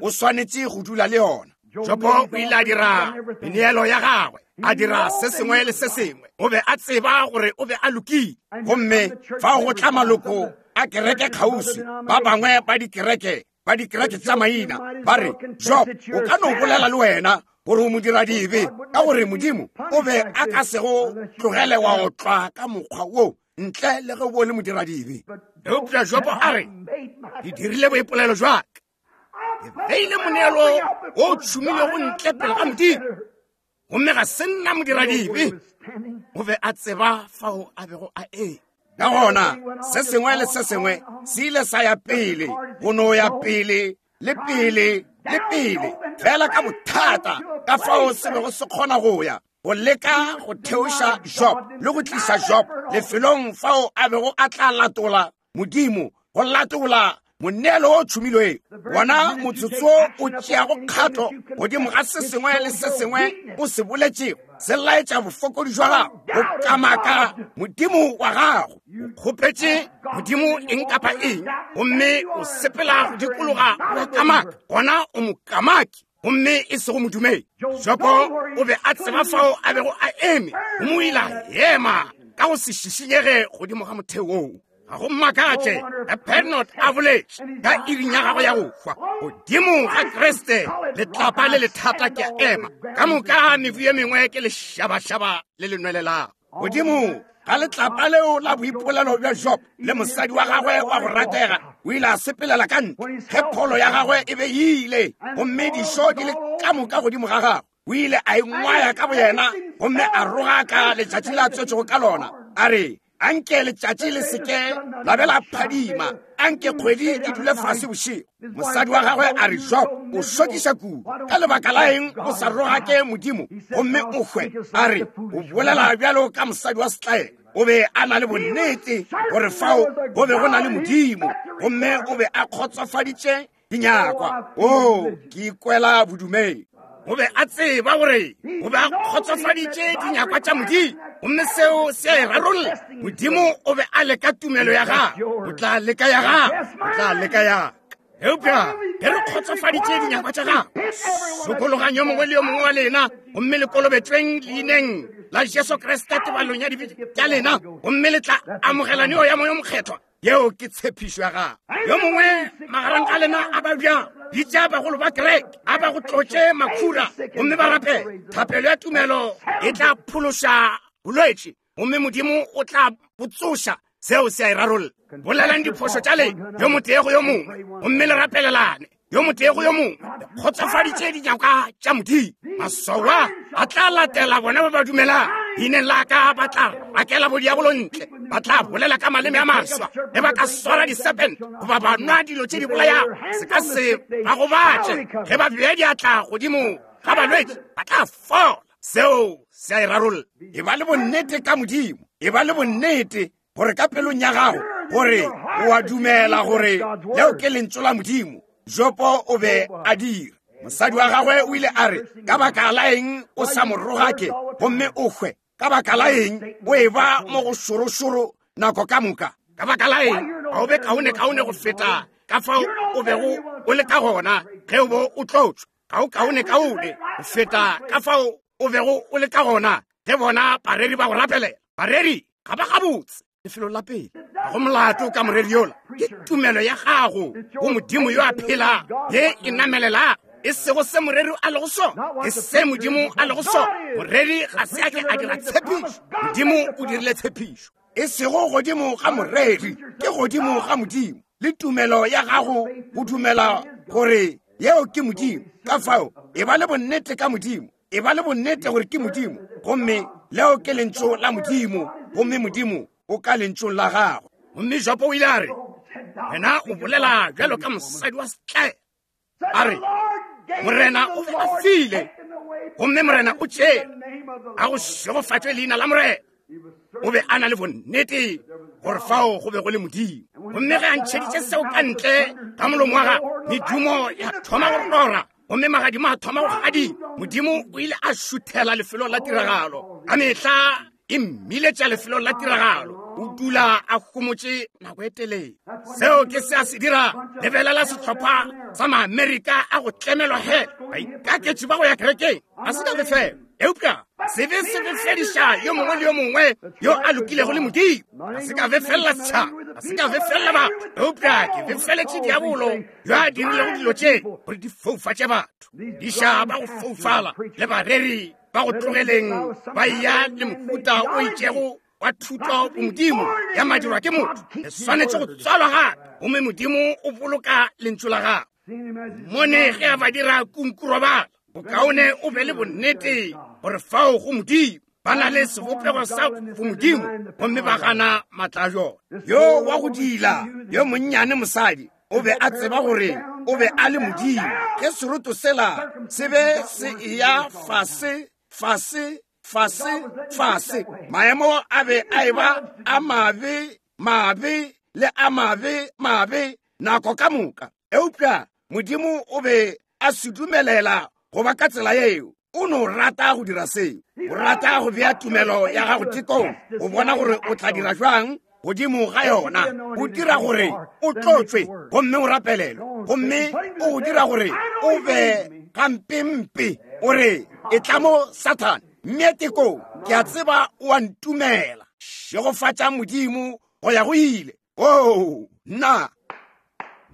O swanetše go dula le yona. Jobo o ile a dira meneelo ya gagwe, a dira se sengwe le se sengwe. O be a tseba gore o be a lokile. Gomme fao go tla maloko a kereke kgauswi, ba bangwe ba dikereke, ba dikereke tša maina, ba re, Job, o ka no bolela le wena gore o modiradibe, ka gore Modimo o be a ka se go tlogele wa otlwa ka mokgwa wo ntle le ge o le modiradibe. Eupša Jobo a re, ke dirile boipolelo jwa ka, ke beile moneelo o tšhumilego ntle pele ga Modimo, gomme ga se nna modiradibe. O be a tseba fao a bego a eme. Ka gona se sengwe le se sengwe se ile sa ya pele, go no ya pele le pele le pele, fela ka bothata ka fao se bego se kgona go ya, go leka go theoša Job le go tliša Job lefelong fao a bego a tla latola Modimo, go latola moneelo o tšhumilwego. Wona motsotso o tšeago kgato godimo ga se sengwe le se sengwe o se boletšego, se laetša bofokodi jwa gago, go kamaka Modimo wa gago. O kgopetše Modimo eng kapa eng, gomme o sepela go dikologa wa kamaka, gona o mokamaki, gomme e sego modumedi. Jobo o be a tseba fao a bego a eme, gomme o ile a ema ka go se šišinyege godimo ga motheo woo. Ga go mmakatše ge Pernod a boletše ka iring ya gagwe ya go hwa, godimo ga Kriste letlapa le lethata ke a ema, ka moka mebu ye mengwe ke lešabašaba le le nwelelago. Godimo ga letlapa leo la boipolelo bja Job le mosadi wa gagwe wa go ratega, o ile a sepelela ka ntle ge pholo ya gagwe e be e ile, gomme dišo di le ka moka godimo ga gagwe. O ile a ingwaya ka boyena gomme a rogaka letšatši la tswetšego ka lona, a re, anke letšatši le seke la be la phadima, anke kgwedi e dule fase bošego. Mosadi wa gagwe a re, Job, o šokiša kudu, ka lebaka la eng o sa rogake Modimo gomme o hwe? A re, o bolela bjalo ka mosadi wa setlaela. O be a na le bonnete gore fao go be go na le Modimo, gomme o be a kgotsofaditše dinyakwa. O, ke ikwela bodumedi. O be a tseba gore o be a kgotsofaditše dinyakwa tša Modimo, gomme seo se a e rarolla. Modimo o be a leka tumelo ya gagwe, o tla leka ya gagwe, o tla leka ya ka. Eupša ge re kgotsofaditše dinyakwa tša gagwe, sokologang yo mongwe le yo mongwe wa lena, gomme le kolobetšweng leineng la Jesu Kriste tebalong ya dibe tša lena, gomme le tla amogela neo ya Moya o Mokgethwa. Yeo ke tshepišo ya gagwe. Yo mongwe magareng ga lena a ba bjang, bitša bagolo ba kereke, a ba go tlotše makhura, gomme ba rapele. Thapelo ya tumelo e tla phološa bolwetši, gomme Modimo o tla bo tsoša. Seo se a e rarolla. Bolelang diphošo tša lena yo motee go yo mongwe, gomme le rapelelane yo motee go yo mongwe. Kgotsofaditše dinyakwa tša Modimo. Maswao a a tla latela bona ba ba dumelang. Leineng la ka ba tla rakela bodiabolo ntle, ba tla bolela ka maleme a maswa, ge ba ka swara diserpent goba ba nwa dilo tše di bolayago, se ka se ba gobatše. Ge ba bea diatla godimo ga balwetši, ba tla fola. Seo se a e rarolla. E ba le bonnete ka Modimo, e ba le bonnete gore ka pelong ya gago gore o a dumela gore leo ke lentšu la Modimo. Jobo o be a dira. Mosadi wa gagwe o ile a re, ka baka la eng o sa mo rogake gomme o hwe? Ka baka la eng o e ba mo go šorošoro nako ka moka? Ka baka la eng ga o be kaone-kaone go feta ka fao o bego o le ka gona ge o bo o tlotšwa? Ga o kaone-kaone go feta ka fao o bego o le ka gona ge bona bareri ba go rapelela. Bareri ga ba gabotse lefelo la pele. Ga go molato ka moreri yola, ke tumelo ya gago go Modimo yo a phela ye e namelelago, e sego se moreri a lego sona, ke se Modimo a lego sona. Moreri ga se a ke a dira tshepišo, Modimo o dirile tshepišo. E sego godimo ga moreri, ke godimo ga Modimo. Le tumelo ya gago go dumela gore yeo ke Modimo. Ka fao e ba le bonnete ka Modimo, e ba le bonnete gore ke Modimo, gomme leo ke lentšu la Modimo, gomme Modimo o ka lentšung la gagwe. Gomme Jobo o ile a re, wena o bolela bjalo ka mosadi wa setlaela. A re, Morena o be a file, gomme Morena o tšere. A go šegofatšwe leina la Morena. O be a na le bonnete gore fao go be go le Modimo. Gomme ge a ntšheditše seo ka ntle ga molomo wa gagwe, medumo ya thoma go rora, gomme magadimo a thoma go gadima. Modimo o ile a šuthela lefelong la tiragalo. Ka mehla e mmiletša lefelong la tiragalo. O dula a homotše nako e telele. Seo ke se a se dira. Lebelela sehlopha sa Maamerika a go tlemelwa he baikaketši ba go ya kerekeng. A se ka befela, eupša sebe se befediša yo mongwe le yo mongwe yo a lokilego le Modimo. A se ka befelela setšhaba, a se ka befelela batho, eupša ke befeletše diabolo yo a dirilego dilo tše gore di foufatše batho. Diša ba go foufala le bareri ba go tlogeleng ba ya le mohuta o itšego wa thuto go Modimo ya madirwa ke motho. Le swanetše go tswalwa gape, gomme Modimo o boloka lentšu la gagwe. Mone ge a ba dira kunkurobala, bokaone o be le bonnete gore fao go Modimo ba na le sebopego sa go Modimo, gomme ba gana maatla a jona. Yo wa go dila yo monnyane mosadi o be a tseba gore o be a le Modimo. Ge seroto sela se be se eya fase fase fase fase, maemo a be a eba a mabe mabe le a mabe mabe nako ka moka, eupša Modimo o be a se dumelela go ba ka tsela yeo. O no rata go dira seo. O rata go bea tumelo ya gago tekong, o bona gore o tla dira jwang godimo ga yona. O dira gore o tlotšwe gomme o rapelelwe, gomme o go dira gore o be gampempe. O re, e tla mo Sathane, mme tekong ke a tseba o a ntumela. Šegofatša Modimo go ya go ile. Oo, nna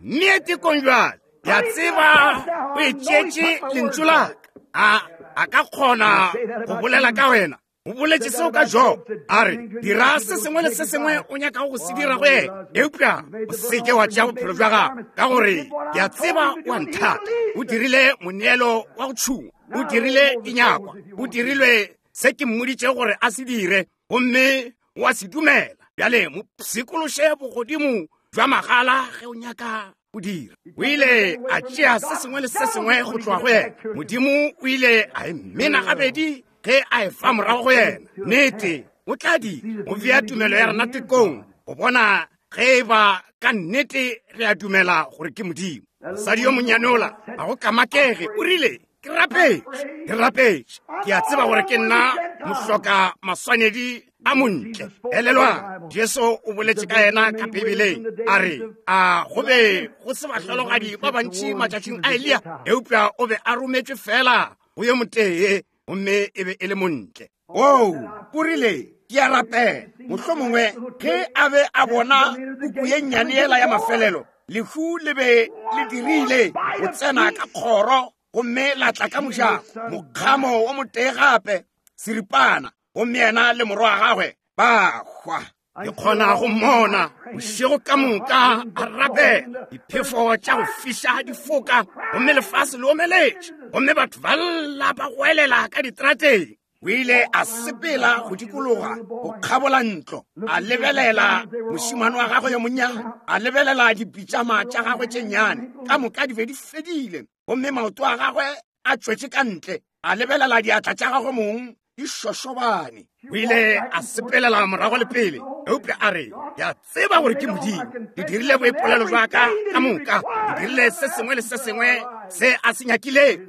mme tekong jwale ke a tseba o e tšeetše lentšu la ka. A a ka kgona go bolela ka wena. O boletše seo ka Job, a re dira se sengwe le se sengwe o nyakago go se dira go yena, eupša o seke wa tšea bophelo bja gago, ka gore ke a tseba o a nthata. O dirile moneelo wa go tšhungwa, o dirile dinyakwa, o dirilwe se ke mmoditše gore a se dire, gomme o a se dumela. Bjale mo pshikološe bogodimo bja magala ge o nyaka go dira. O ile a tšea se sengwe le se sengwe go tloga go yena. Modimo o ile a e mena gabedi ge a e fa morago go yena. Nnete o tla di go bea tumelo ya rena tekong go bona ge e ba ka nnete re a dumela gore ke Modimo. Mosadi yo monnyane ola a go kamakege, o rile, ke rapetše, ke rapetše, ke a tseba gore ke nna mohloka maswanedi a montle. Elelwang, Jesu o boletše ka yena ka Bibeleng, a re a go be go se bahlologadi ba bantši matšatšing a Eliya, eupša o be a rometšwe fela go yo motee, gomme e be e le montle. Oo, o rile, ke a rapela. Mohlomongwe ge a be a bona puku ye nnyane yela ya mafelelo, lehu le be le dirile go tsena ka kgoro gomme la tla ka mojako, mokgamo wo motee gape, seripana, gomme yena le morwa wa gagwe ba hwa. Ke kgona go mmona bošego ka moka a rapela, diphefo tša go fiša di foka, gomme lefase le omeletše, gomme batho ba lla ba goelela ka ditrateng. O ile a sepela go dikologa go kgabola ntlo, a lebelela mošemane wa gagwe yo monnyane, a lebelela dipitšama tša gagwe tše nnyane, ka moka di be di fedile, gomme maoto a gagwe a tšwetše ka ntle, a lebelela diatla tša gagwe mong di šošobane. O ile a sepelela morago le pele, eupša a re, ke a tseba gore ke Modimo. Ke dirile boipolelo bja ka ka moka, ke dirile se sengwe le se sengwe se a se nyakilego.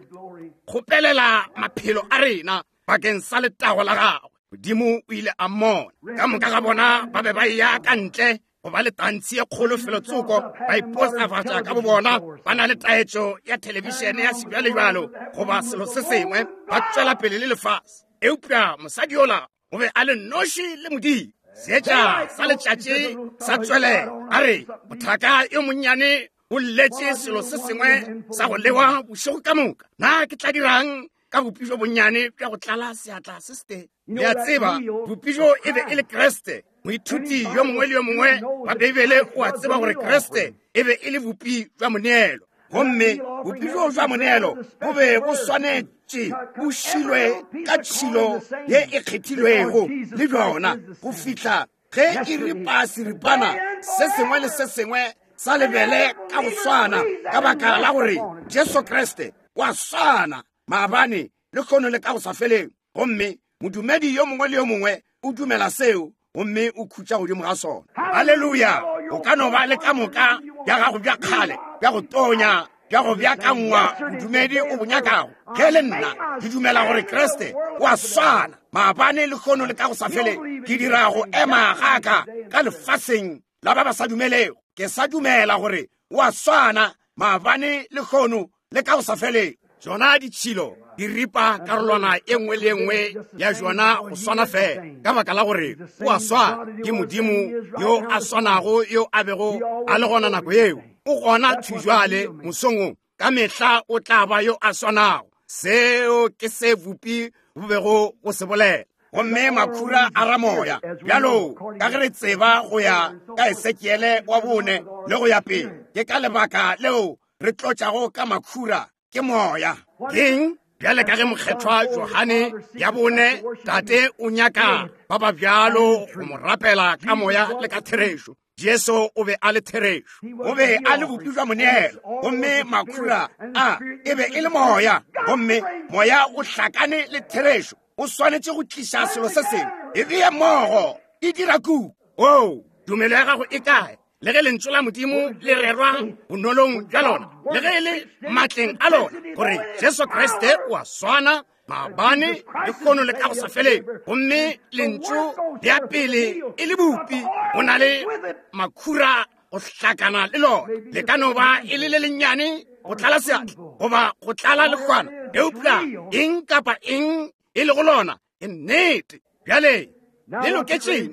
Kgopelela maphelo a rena bakeng sa letago la gagwe. Modimo o ile a mmona. Ka moka ga bona ba be ba eya ka ntle go ba le tantshi ye kgolo felotsoko, ba ipostafatša ka bobona, ba na le taetšo ya thelebišene ya sebjalebjalo goba selo se sengwe, ba tšwela pele le lefase. Eupša mosadi yola o be a le noši le Modimo. Seetša sa letšatši sa tswelela. A re, mothaka yo monnyane o lletše selo se sengwe sa go lewa bošego ka moka. Na ke tla dirang ka bopijo bonnyane bja go tlala seatla se setee? Le a tseba, bopijo e be e le Kriste. Moithuti yo mongwe le yo mongwe wa Beibele o a tseba gore Kriste e be e le bopi bja moneelo, gomme bopijo bja moneelo bo be bo swanetše bo šilwe ka tšhilo ye e kgethilwego le bjona go fihla ge e ripa seripana se sengwe le se sengwe sa lebele ka go swana, ka baka la gore Jesu Kriste wa swana maabane le kgono le ka go sa feleng. Gomme modumedi yo mongwe le yo mongwe o dumela seo, gomme o khutša godimo ga sona. Haleluya! O ka no ba le ka moka bja gago bja kgale, bja go tonya, bja go beakangwa bodumedi o bo nyakago. Ge le nna ke dumela gore Kriste o a swana maabane le kgono le ka go sa feleng, ke dira go ema ga ka ka lefaseng la ba ba sa dumelego. Ke sa dumela gore o a swana maabane le kgono le ka go sa felego. Tšona ditšhilo di ripa karolwana e nngwe le e nngwe ya jona go swana fela, ka baka la gore o a swana. Ke Modimo yo a swanago yo a bego a le gona nako yeo, o gona thujwale mosong wo, ka mehla o tla ba yo a swanago. Seo ke se bupi bo bego go se bolela. Gomme makhura a ramoya, bjalo ka ge re tseba go ya ka Esekiele wa bone le go ya pele, ke ka lebaka leo re tlotšago ka makhura, ke moya. Keng? Bjale ka ge mokgethwa Johane ya bone, tate o nyaka ba ba bjalo go mo rapela ka moya le ka therešo. Jesu o be a le therešo, o be a le bopi bja moneelo, gomme makhura a e be e le moya, gomme moya o hlakane le therešo. O swanetše go tliša selo se sengwe, e bee mmogo, e dira kuku. Oo, tumelo ya gago e kae? Le ge lentšu la Modimo le rerwa bonolong bja lona, le ge e le matleng a lona, gore Jesu Kriste o a swana maabane le kgono le ka go sa feleng, gomme lentšu ya pele e le bupi, go na le makhura go hlakana le lona. Le ka no ba e le le lennyane go tlala seatla goba go tlala lekgwana, eupša eng kapa eng e lego lona ke nnete. Bjale le loketšeng?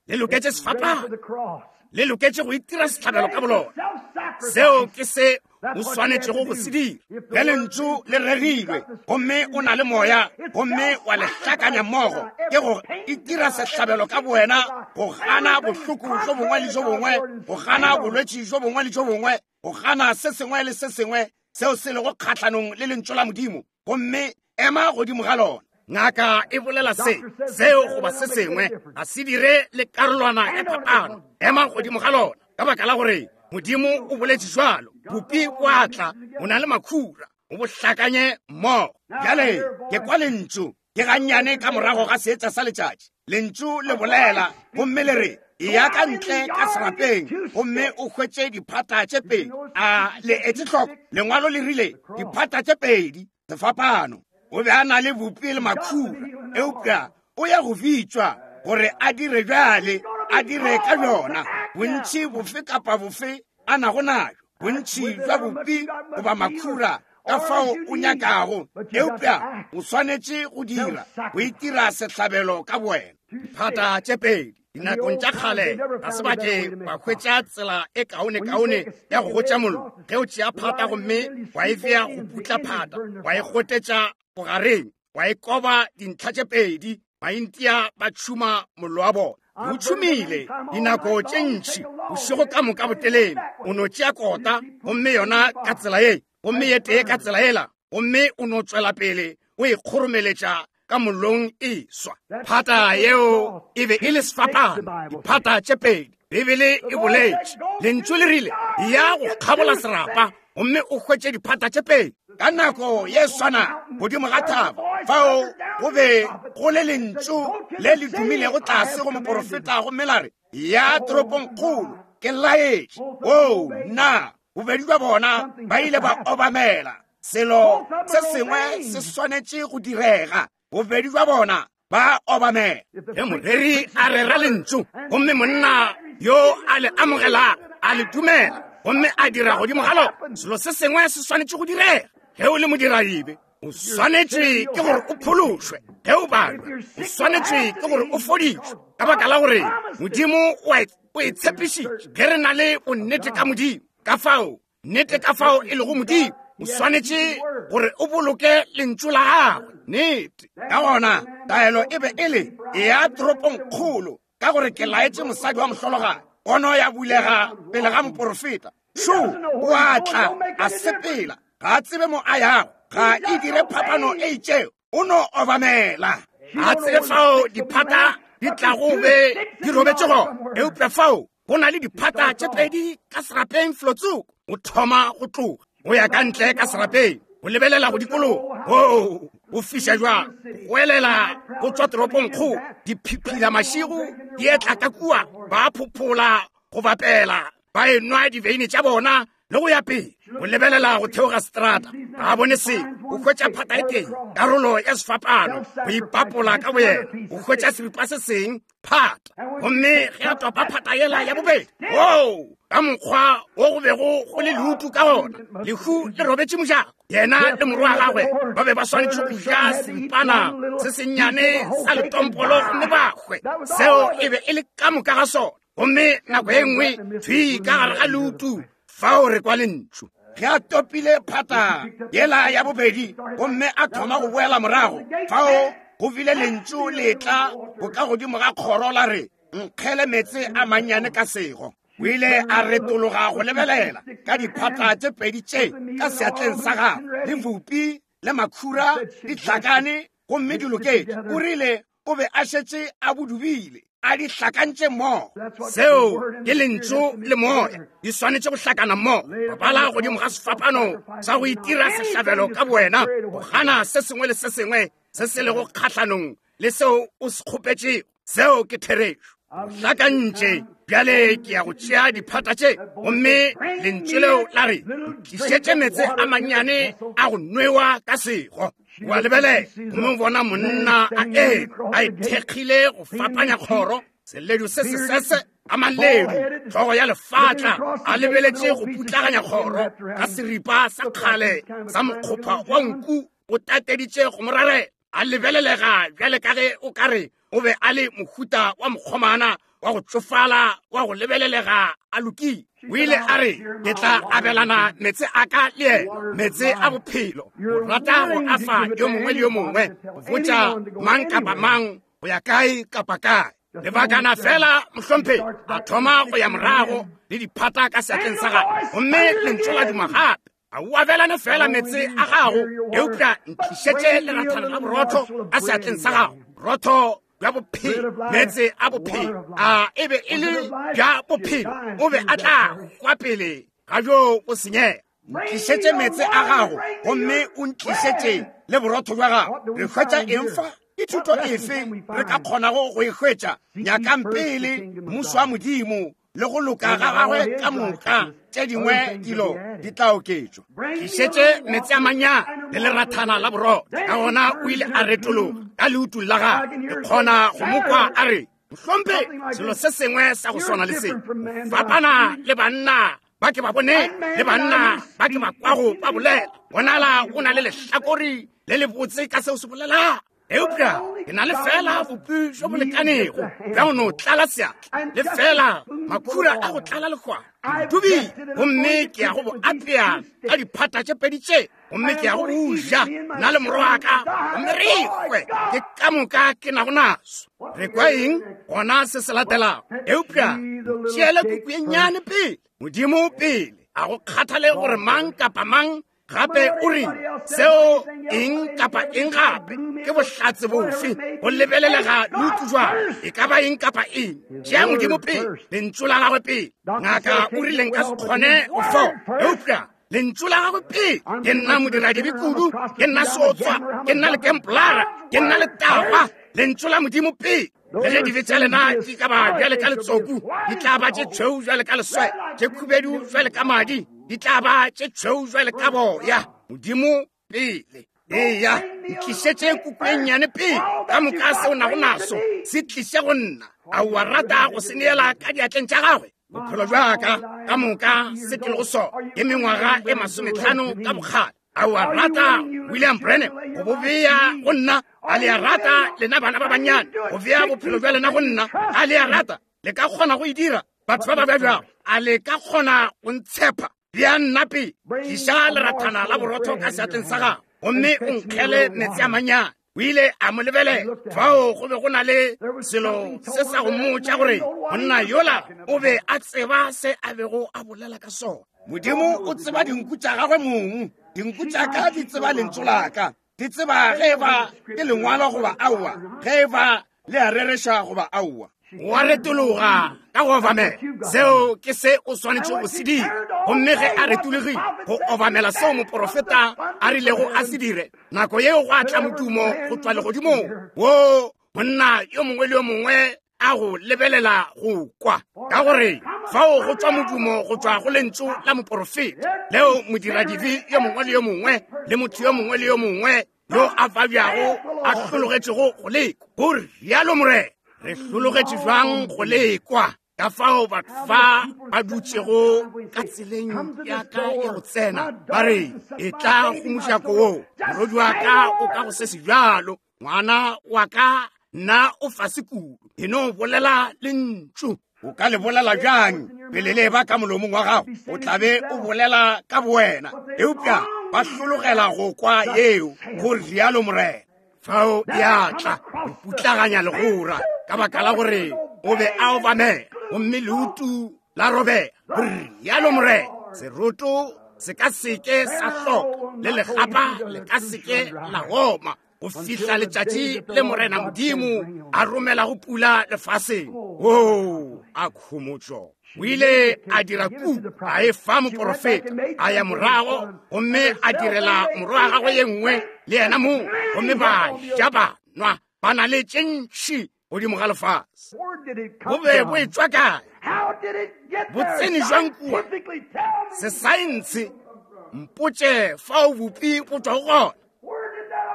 Le loketše sefapano, le loketše go itira sehlabelo ka bolona. Seo ke se o swanetšego go se dira. Ge lentšu le rerilwe gomme o na le moya gomme wa le hlakanya mmogo, ke go itira sehlabelo ka bowena, go gana bohloko bjo bongwe le bjo bongwe, go gana bolwetši bjo bongwe le bjo bongwe, go gana se sengwe le se sengwe seo se lego kgahlanong le lentšu la Modimo, gomme ema godimo ga lona. Ngaka e bolela se, seo goba se sengwe, ga se dire le karolwana ya phapano. Ema godimo ga lona, ka baka la gore Modimo o boletše jwalo. Bupi bo a tla, o na le makhura, o bo hlakanye mmogo. Bjale ke kwa lentšu, ke gannyane ka morago ga seetša sa letšatši. Lentšu le bolela gomme le re, eya ka ntle ka serapeng gomme o hwetše diphata tše pedi. A le etse hloko, lengwalo le rile diphata tše pedi, sefapano. O be a na le bupi le makhura, eupša o ya go bitšwa gore a dire bjale, a dire ka bjona bontši bofe kapa bofe a nago nayo, bontši bja bupi goba makhura ka fao o nyakago, eupša o swanetše go dira, go itira sehlabelo ka bowena. Diphata tše pedi. Dinakong tša kgale ga se ba ke ba hwetša tsela e kaonekaone ya go gotša mollo. Ge o tšea phata gomme wa e bea go putla phata, wa e gotetša bogareng, wa e koba dintlha tše pedi, Maintia ba tšhuma mollo wa bona. O tšhumile dinako tše ntši bošego ka moka botelele. O no tšea kota gomme yona ka tsela ye, gomme ye tee ka tsela yela, gomme o no tšwela pele o e kgoromeletša ka mollong e swa. Phata yeo e be e le sefapano, diphata tše pedi. Bibele e boletše, lentšu le rile, ya go kgabola serapa gomme o hwetše diphata tše pedi. Ka nako ye swana godimo ga thaba, fao go be go le lentšu le le dumilego tlase go moporofeta, gomme la re, ya toropongkgolo ke laetše. Oo, nna, bobedi bja bona ba ile ba obamela. Selo se sengwe se swanetše go direga. Bobedi bja bona ba obamela. Ge moreri a rera lentšu gomme monna yo a le amogelago a le dumela gomme a dira godimo ga lona, selo se sengwe se swanetše go direga. Ge o le modiradibe, o swanetše ke gore o phološwe. Ge o balwa, o swanetše ke gore o fodišwe, ka baka la gore Modimo o e tshepišitše. Ge re na le bonnete ka Modimo, ka fao nnete ka fao e lego Modimo, o swanetše gore o boloke lentšu la gagwe. Nnete. Ka gona taelo e be e le eya toropongkgolo, ka gore ke laetše mosadi wa mohlologadi. Pono ya bulega pele ga moporofeta. Šo o a tla a sepela, ga a tsebe mo a yago, ga e dire phapano e itšego, o no obamela. Ga tsebe fao diphata di tlago be di robetše gona, eupša fao go na le diphata tše pedi ka serapeng felotsoko. O thoma go tloga go ya ka ntle ka serapeng, go lebelela go dikologa. Oo, o fiša jwang, go elela go tšwa toropongkgolo, diphiphila mašigo di etla ka kua, ba phophola go bapela, ba enwa diveine tša bona le go ya pele. Go lebelela go theoga seterata, ga a bone selo. O hwetša phata e tee, karolo ya sefapano, go ipapola ka boyena. O hwetša seripa se seng Phata. Gomme ge a topa phata yela ya bobedi, oo, ka mokgwa wo go bego go le leutu ka gona, lehu le robetše mojako. Yena le morwa wa gagwe ba be ba swanetše go ja seripana se sennyane sa letompolo gomme ba hwe. Seo e be e le ka moka ga sona. Gomme nako e nngwe thwi ka gare ga leutu fao re kwa lentšu. Ge a topile phata yela ya bobedi gomme a thoma go boela morago, fao go bile lentšu le tla go ka godimo ga kgoro la re, nkgele meetse a mannyane ka sego. O ile a retologa go lebelela ka diphata tše pedi tše ka seatleng sa gagwe, le bupi le makhura di hlakane gomme di loketše. O rile o be a šetše a bodubile, a di hlakantše mmogo. Seo ke lentšu le moya di swanetše go hlakana mmogo. Bala godimo ga sefapano sa go itira sehlabelo ka bowena, go gana se sengwe le se sengwe se se lego kgahlanong le seo o se kgopetšego. Seo ke therešo. Hlakantše. Bjale ke ya go tšea diphata tše, gomme lentšu leo la re, tlišetše meetse a mannyane a go nwewa ka sego. Wa lebelela gomme o bona monna a eme a ithekgile go fapanya kgoro, seledu se sesese a maledu, hlogo ya lefatla, a lebeletše go putlaganya kgoro ka seripa sa kgale sa mokgopha wa nku o tateditše go morarela. A lebelelega bjale ka ge o ka re o be a le mohuta wa mokgomana wa go tšofala wa go lebelelega a lokile. O ile a re, ke tla abelana meetse a ka le yena, meetse a bophelo. O rata go afa yo mongwe le yo mongwe, go botša mang kapa mang go ya kae kapa kae. Lebakana fela mohlomphegi a thoma go ya morago le diphata ka seatleng sa gagwe, gomme lentšu la duma gape. A o abelane fela meetse a gago, eupša ntlišetše lerathana la borotho ka seatleng sa gago. Borotho bja bophelo, meetse a bophelo. A e be e le bja bophelo, o be a tla kwa pele ga bjo bo senyega. Ntlišetše meetse a gago gomme o ntlišetše le borotho bja gago. Re hwetša eng fa? Ke thuto efe re ka kgonago go e hwetša? Nyakang pele mmušo wa Modimo le go loka ga gagwe ka moka, tše dingwe dilo di tla oketšwa. Tlišetše meetse a mannyane le lerathana la borotho. Ka gona o ile a retologa ka leutu la gagwe. Ke kgona go mo kwa a re, mohlomphegi, selo se sengwe sa go swana le se. Fapana le banna ba ke ba bone le banna ba ke ba kwago ba bolela. Bonala o na le lehlakori le lebotse ka seo se bolela. Eupša ke na le fela bopi bjo bo lekanego bja go no tlala seatla, le fela makhura a go tlala lekgwana. Dubile, gomme ke ya go bo apea ka diphata tše pedi tše, gomme ke ya go bo ja nna le morwa wa ka, gomme re hwe. Ke ka moka ke nago naso. Re kwa eng gona se se latelago? Eupša tšeele kuku ye nnyane pele, Modimo pele, a go kgathale gore mang kapa mang gape o re seo eng kapa eng gape. Ke bohlatse bofe go lebelelega leutu jwang? E ka ba eng kapa eng? Tšea Modimo pele, lentšu la gagwe pele. Ngaka o rile nka se kgone go fola, eupša lentšu la gagwe pele. Ke nna modiradibe kudu, ke nna seotswa, ke nna lekempolara, ke nna letagwa. Lentšu la Modimo pele. Le ge dibe tša lena di ka ba bjale ka letsoku, di tla ba tše tšhweu bjale ka leswe, tše khubedu bjale ka madi, di tla ba tše tšhweu bjale ka boya. Modimo pele. Eya, ntlišetše kuku e nnyane pele. Ka moka seo nago naso se tliše go nna. A o a rata go se neela ka diatleng tša gagwe? Bophelo bja ka ka moka se ke lego sona ke mengwaga e masometlhano ka bokgale. A o a rata William Branham go bo bea go nna? A le a rata lena bana ba bannyane go bea bophelo bja lena go nna? A le a rata? Le ka kgona go e dira, batho ba ba bjabjago? A le ka kgona go ntshepa? Bea nna pele. Tliša lerathana la borotho ka seatleng sa gago, gomme o nkgele meetse a mannyane. O ile a mo lebelela. Fao go be go na le selo se sa go mmotša gore monna yola o be a tseba se a bego a bolela ka sona. Modimo o tseba dinku tša gagwe mong. Dinku tša ka di tseba lentšu la ka. Di tseba ge eba ke lengwalo goba aowa, ge eba le a rereša goba aowa. Wa retologa ka go obamela. Seo ke se o swanetše go se dira. Gomme ge a retologile go obamela seo moporofeta a rilego a se dire, nako yeo go a tla modumo go tšwa legodimong wo monna yo mongwe le yo mongwe a go lebelela go kwa, ka gore fao go tšwa modumo go tšwa go lentšu la moporofeta leo modiradibe yo mongwe le yo mongwe le motho yo mongwe le yo mongwe yo a babjago a hlologetšego go lekwa. Go rialo Morena. Re hlologetše bjang go lekwa ka fao batho ba ba dutšego ka tseleng ya ka ya go tsena ba re e tla go mojako wo, morodi wa ka o ka go se se bjalo, ngwana wa ka nna o fase kudu, e no bolela lentšu. O ka le bolela bjang pele le ba ka molomong wa gago? O tla be o bolela ka bowena. Eupša ba hlologela go kwa yeo, go rialo Morena. Fao ya tla go putlaganya legora ka baka la gore o be a obamela, gomme leutu la robega, go rialo Morena. Seroto se ka seke sa hloka, le legapa le ka seke la oma, go fihla letšatši le Morena Modimo a romelago pula lefaseng. Oo, a khomotšo. O ile a dira kuku, a e fa moporofeta, a ya morago gomme a direla morwa wa gagwe ye nngwe le yena mong, gomme ba ja ba nwa, ba na le tše ntši godimo ga lefase. Bo be bo etšwa kae? Bo tsene jwang kua? Sesaense mpotše fao bopi bo tšwago gona.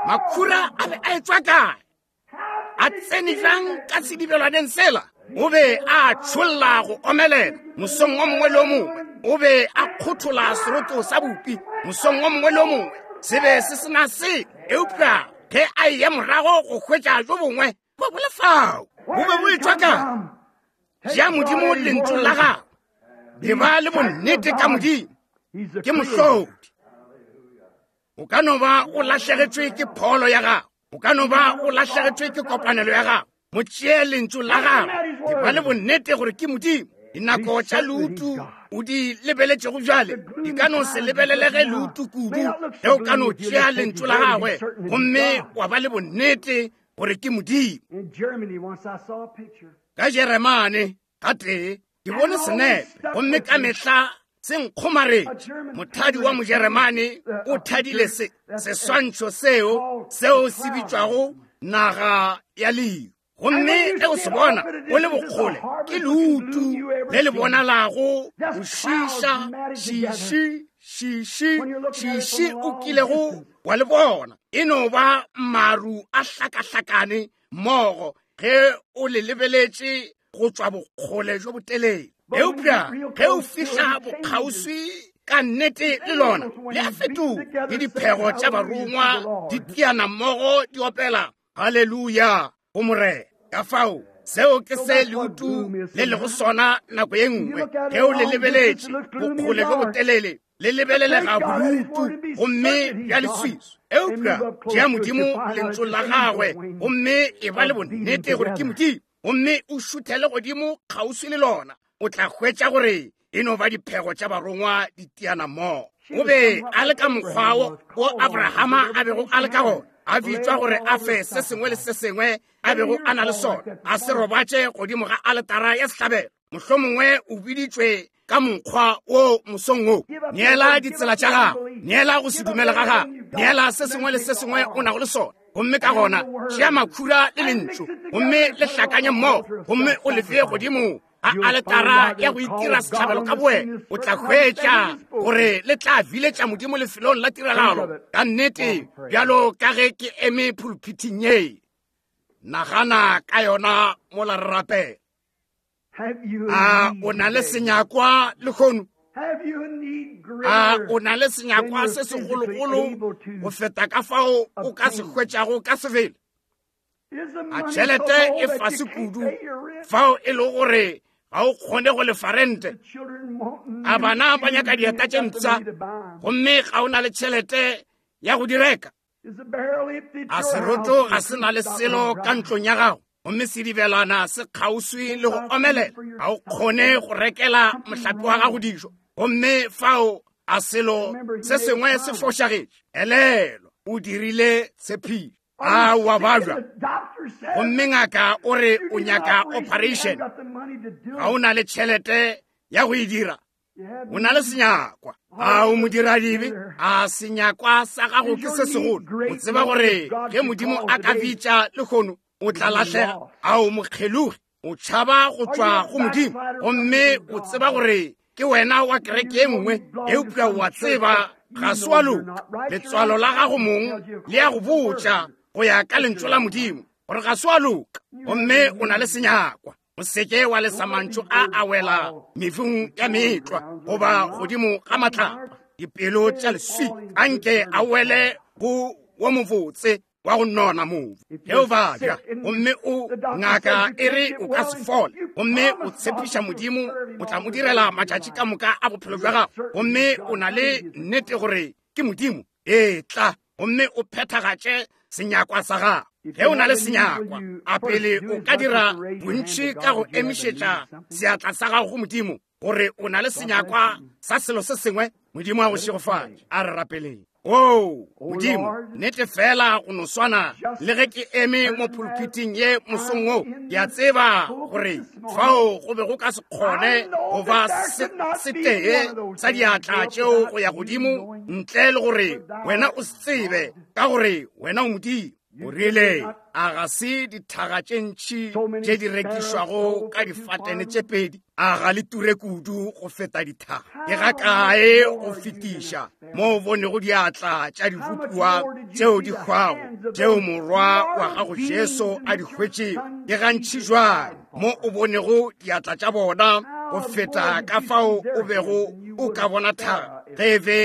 Makhura a be a etšwa kae? A tsene bjang ka sedibelwaneng sela? O be a tšholla go omelela mosong o mongwe le o mongwe. O be a kgothola seroto sa bopi mosong o mongwe le o mongwe. Se be se sena se, eupša ge a eya morago go hwetša jo bongwe, bo bo le fao. Bo be bo etšwa kae? Tšea Modimo lentšu la gago. E ba le bonnete ka Modimo. Ke mohlodi. O ka no ba o lahlegetšwe ke pholo ya gago, o ka no ba o lahlegetšwe ke kopanelo ya gago. Mo tšee lentšu la gago, e ba le bonnete gore ke Modimo. Dinako tša leutu o di lebeletšego bjale di ka no se lebelelege leutu kudu ge o ka no tšea lentšu la gagwe gomme wa ba le bonnete gore ke Modimo. Ka Jeremane gatee ke bone senepe, gomme ka mehla se nkgomaretše. Mothadi wa Mojeremane o thadile se seswantšho seo seo se bitšwago naga ya lehu. Gomme ge o se bona o le bokgole, ke leutu le le bonalago go šiša šiši šiši šiši o kilego wa le bona. E no ba maru a hlakahlakane mmogo ge o le lebeletše go tšwa bokgole jo botelele. Eupša ge o fihla bokgauswi ka nnete le lona, le a fetoga, le diphego tša barongwa di tiana mmogo di opela haleluya go Morena. Ka fao seo ke se leutu le lego sona nako ye nngwe. Ge o le lebeletše bokgole jo botelele, le lebelelega bodutu gomme bja leswiswi. Eupša tšea Modimo lentšu la gagwe gomme e ba le bonnete gore ke Modimo, gomme o šuthele godimo kgauswi le lona, o tla hwetša gore e no ba diphego tša barongwa di tiana mmogo. O be a le ka mokgwa wo Abrahama a bego a le ka gona, a bitšwa gore a fe se sengwe le se sengwe a bego a na le sona, a se robatše godimo ga aletara ya sehlabelo. Mohlomongwe o biditšwe ka mokgwa wo mosong wo. Neela ditsela tša gago, neela go se dumele ga gago, neela se sengwe le se sengwe o nago le sona, gomme ka gona tšea makhura le lentšu gomme le hlakanye mmogo, gomme o le bee godimo a aletara ya go itira sehlabelo ka bowena. O tla hwetša gore le tla biletša Modimo lefelong la tiragalo ka nnete, bjalo ka ge ke eme pulpithing ye. Nagana ka yona mola re rapela. A o na le senyakwa lehono? A o na le senyakwa se segologolo go feta ka fao o ka se hwetšago ka sebele? A tšhelete e fase kudu fao e le gore ga o kgone go lefa rente? A bana ba nyaka dieta tše mpsha gomme ga o na le tšhelete ya go di reka? A seroto ga se na le selo ka ntlong ya gago gomme sedibelwana se kgauswi le go omelela? Ga o kgone go rekela mohlape wa gago dijo gomme fao a selo se sengwe se fošagetše. Elelo, o dirile tshepišo. A wa bajwa gomme ngaka o re o nyaka operation, ga o na le tšhelete ya go e dira, o na le senyakwa. A o modiradibe? A senyakwa sa gago ke se segolo? O tseba gore ge Modimo a ka bitša lehono o tla lahlega. A o mokgelogi? O tšhaba go tšwa go Modimo gomme o tseba gore ke wena wa kereke ye nngwe, eupša wa tseba ga se wa loka. Letswalo la gago mong le ya go botša go ya ka lentšu la Modimo gore ga se wa loka, gomme o na le senyakwa. O seke wa lesa mantšu a a wela mefung ya metlwa goba godimo ga matlapa. Dipelo tša leswi anke a wele go wo mobotse wa go nona mobu. Ge o babja gomme o ngaka e re o ka se fole, gomme o tshepiša Modimo o tla mo direla matšatši ka moka a bophelo bja gago, gomme o na le nnete gore ke Modimo, etla gomme o phethagatše senyakwa sa gago. Ge o na le senyakwa, a pele o ka dira bontši ka go emišetša seatla sa gago go Modimo gore o na le senyakwa sa selo se sengwe. Modimo a go šegofatše. A re rapeleng. O Modimo, nnete fela go no swana le ge ke eme mo pulpiting ye mosong wo, ke a tseba gore fao go be go ka se kgone go ba setee sa diatla tšeo go ya godimo ntle le gore wena o se tsebe, ka gore wena o Modimo. O rile, a ga se dithaga tše ntši tše di rekišwago ka difatene tše pedi? A ga le ture kudu go feta dithaga? Ke ga kae go fetiša mo o bonego diatla tša dibopiwa tšeo di hwago, tšeo morwa wa gago Jesu a di hwetšego? Ke gantši jwang mo o bonego diatla tša bona go feta ka fao o bego o ka bona thaga ge e be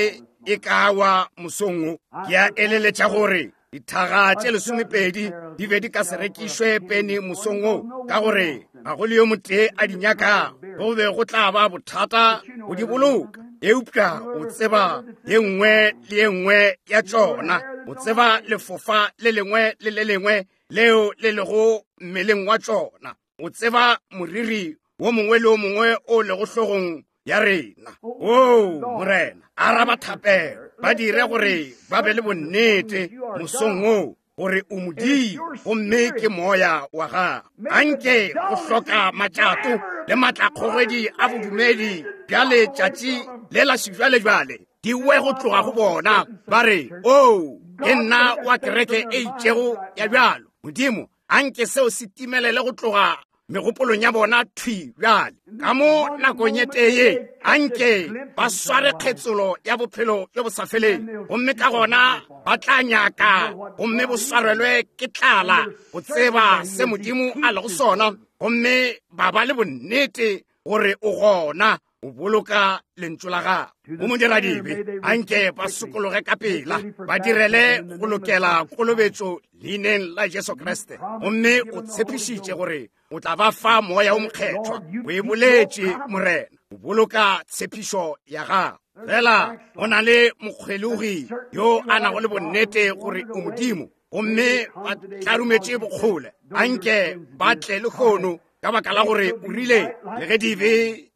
e ka wa mosong wo? Ke a eleletša gore dithaga tše lesomepedi di be di ka se rekišwe peni mosong wo, ka gore ga go le yo motee a di nyakago. Go be go tla ba bothata go di boloka, eupša o tseba ye nngwe le ye nngwe ya tšona. O tseba lefofa le lengwe le le lengwe leo le lego mmeleng wa tšona. O tseba moriri wo mongwe le wo mongwe o lego hlogong ya rena. O Morena, araba thapelo. Ba dire gore ba be le bonnete mosong wo gore o Modimo gomme ke moya wa gago. Anke go hloka matšato le matlakgogedi a bodumedi bja letšatši le la sejwalejwale di we go tloga go bona, ba re, o ke nna wa kereke e itšego ya bjalo. Modimo, anke seo se timelele go tloga megopolong ya bona thwi bjale. Ka mo nakong ye tee anke ba sware kgetsolo ya bophelo bjo bo sa feleng, gomme ka gona ba tla nyaka gomme bo swarelwe ke tlala go tseba se Modimo a lego sona, gomme ba ba le bonnete gore o gona, o boloka lentšu la gago. Go modiradibe anke ba sokologe ka pela, ba direle go lokela kolobetšo leineng la Jesu Kriste, gomme o tshepišitše gore o tla ba fa moya o mokgethwa. O e boletše, Morena, o boloka tshepišo ya gago. Fela go na le mokgwelogi yo a nago le bonnete gore o Modimo, gomme ba tlarumetše bokgole. Anke ba tle lehono, ka baka la gore o rile le ge dibe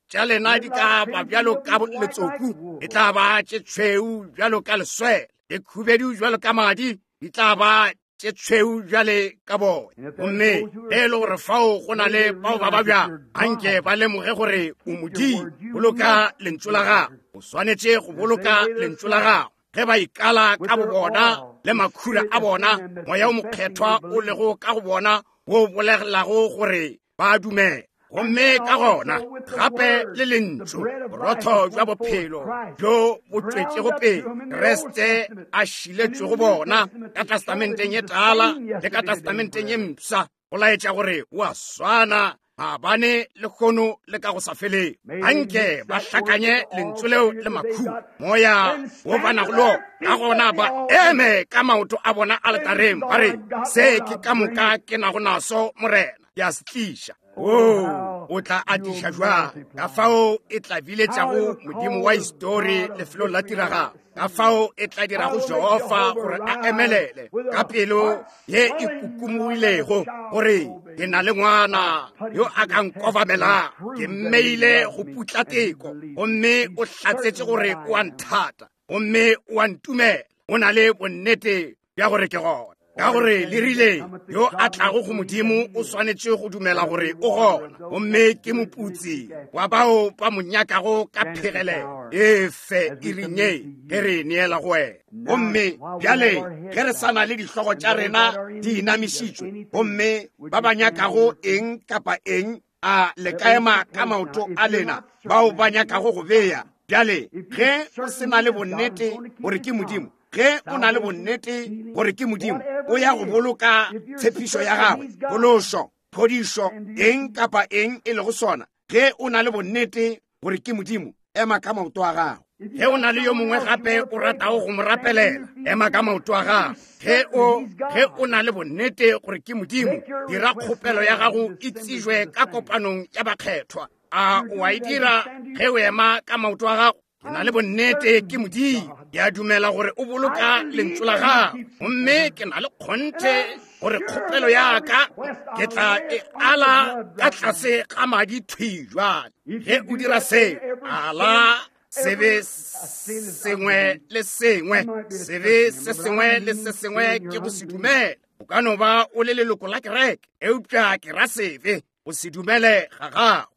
tša lena di ka ba bjalo ka letsoku, e tla ba tše tšhweu bjalo ka leswele, le khubedu bjalo ka madi, di tla ba tše tšhweu bjale ka boya. Gomme ge e le gore fao go na le bao ba babja, anke ba lemoge gore o Modimo. Boloka lentšu la gago. O swanetše go boloka lentšu la gago. Ge ba ikala ka bo bona le makhura a bona, moya o mokgethwa o lego ka go bona wo bolelago gore ba dumela. Gomme ka gona gape le lentšu, borotho bja bophelo bjo bo tšwetšego pele Kriste a šiletšwego bona ka testamenteng ye tala le ka testamenteng ye mpsha, go laetša gore o a swana maabane lehono le ka go sa feleng. Anke ba hlakanye lentšu leo le makhura, moya wo ba nago le ona. Ka gona ba eme ka maoto a bona aletareng, ba re, se ke ka moka ke nago naso, Morena, ke a se tliša. O o tla atiša jwang? Ka fao e tla biletšago Modimo wa histori lefelong la tiragalo. Ka fao e tla dirago Jehofa gore a emelele ka pelo ye e kukumogilego gore ke na le ngwana yo a ka nkobamelang, ke mmeile go putla teko, gomme o hlatsetše gore o a nthata, gomme o a ntumela, o na le bonnete bja gore ke gona. Ka gore le rile yo a tlago go Modimo o swanetše go dumela gore o gona, gomme ke moputsi wa bao ba mo nyakago ka phegelelo. E fe e rinye ge re neela go wena. Gomme bjale ge re sa na le dihlogo tša rena di inamišitšwe, gomme ba ba nyakago eng kapa eng, a le ka ema ka maoto a lena bao ba nyakago go bea. Bjale ge o se na le bonnete gore ke Modimo, Ge o na le bonnete gore ke Modimo, o ya go boloka tshepišo ya gagwe, phološo, phodišo, eng kapa eng e lego sona. Ge o na le bonnete gore ke Modimo, ema ka maoto a gago. Ge o na le yo mongwe gape o ratago go mo rapelela, ema ka maoto a gago. Ge o ge o na le bonnete gore ke Modimo, dira kgopelo ya gago e tsejwe ka kopanong ya bakgethwa. A o a e dira ge o ema ka maoto a gago? Ke na le bonnete ke Modimo. Ke a dumela gore o boloka lentšu la gago, gomme ke na le kgonthe gore kgopelo ya ka ke tla e ala ka tlase ga madi thwi jwale. Ge o dira seo, ala sebe sengwe le sengwe, sebe se sengwe le se sengwe ke go se dumela. O ka no ba o le leloko la kereke, eupša ke ra sebe go se dumele ga gago.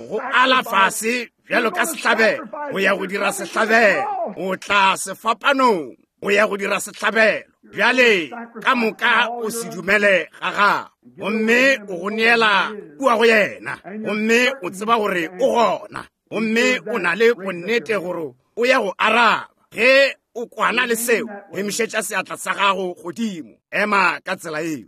Go ala fase bjalo ka sehlabelo, o ya go dira sehlabelo, o tla sefapanong, o ya go dira sehlabelo. Bjale ka moka o se dumele ga gago, gomme o go neela kua go yena, gomme o tseba gore o gona, gomme o na le bonnete gore o ya go araba. Ge o kwana le seo, emišetša seatla sa gago godimo, ema ka tsela eo.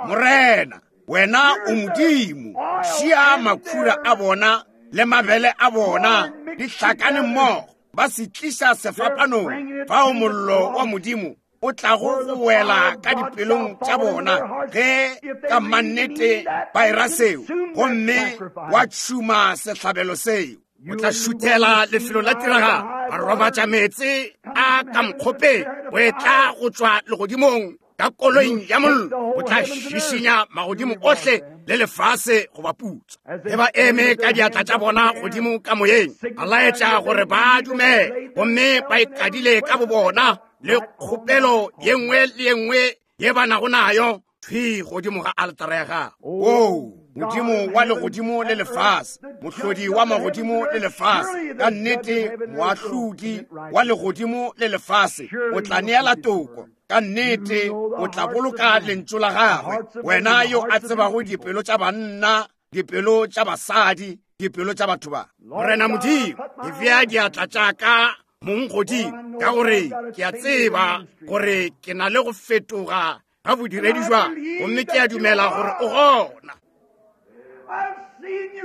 Morena, wena o Modimo, šia makhura a bona le mabele a bona di hlakane mmogo, ba se tliša sefapanong, fao mollo wa Modimo o tlago go wela ka dipelong tša bona ge ka mannete ba era seo, gomme wa tšhuma sehlabelo seo. O tla šuthela lefelo la tiragalo, ba robatša meetse a ka mokgopeng, o etla go tšwa legodimong ka koloing ya mollo, o tla šišinya magodimo ohle le lefase goba putso. Ge ba eme ka diatla tša bona godimo ka moyeng, ba laetša gore ba dumele, gomme ba ikadile ka bobona le kgopelo ye nngwe le ye nngwe ye ba nago nayo thwi godimo ga altara ya gago. Oo, Modimo wa legodimo le lefase, mohlodi wa magodimo le lefase, ka nnete moahlodi wa legodimo le lefase, o tla neela toko. Ka nnete o tla boloka lentšu la gagwe. Wena yo a tsebago dipelo tša banna, dipelo tša basadi, dipelo tša batho ba. Morena Modimo, ke bea diatla tša ka mong godimo, ka gore ke a tseba gore ke na le go fetoga ga bodiredi jwa, gomme ke a dumela gore o gona.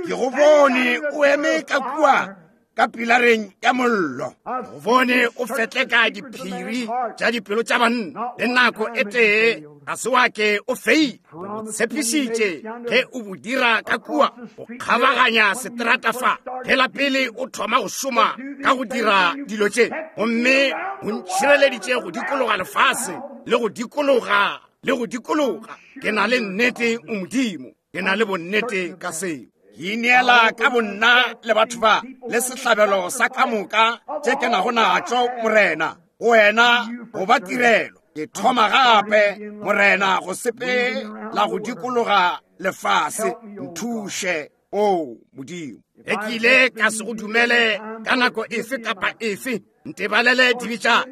Ke go bone o eme ka kua ka pilareng ya mollo, go bone o fetleka diphiri tša dipelo tša banna, le nako e tee ga se wa ke o feile. O tshepišitše ge o bo dira ka kua go kgabaganya seterata fa, ge la pele o thoma go šoma ka go dira dilo tše, gomme o ntšhireleditše go dikologa lefase le go dikologa le go dikologa. Ke na le nnete o Modimo, ke na le bonnete ka seo. Ke ineela ka bonna le batho ba le sehlabelo sa ka moka tše ke nago natšo, Morena, go wena go ba tirelo. Ke thoma gape, Morena, go sepela go dikologa lefase. Nthuše, o Modimo. Ge ke ile ka se go dumele ka nako efe kapa efe, ntebalele dibe tša ka,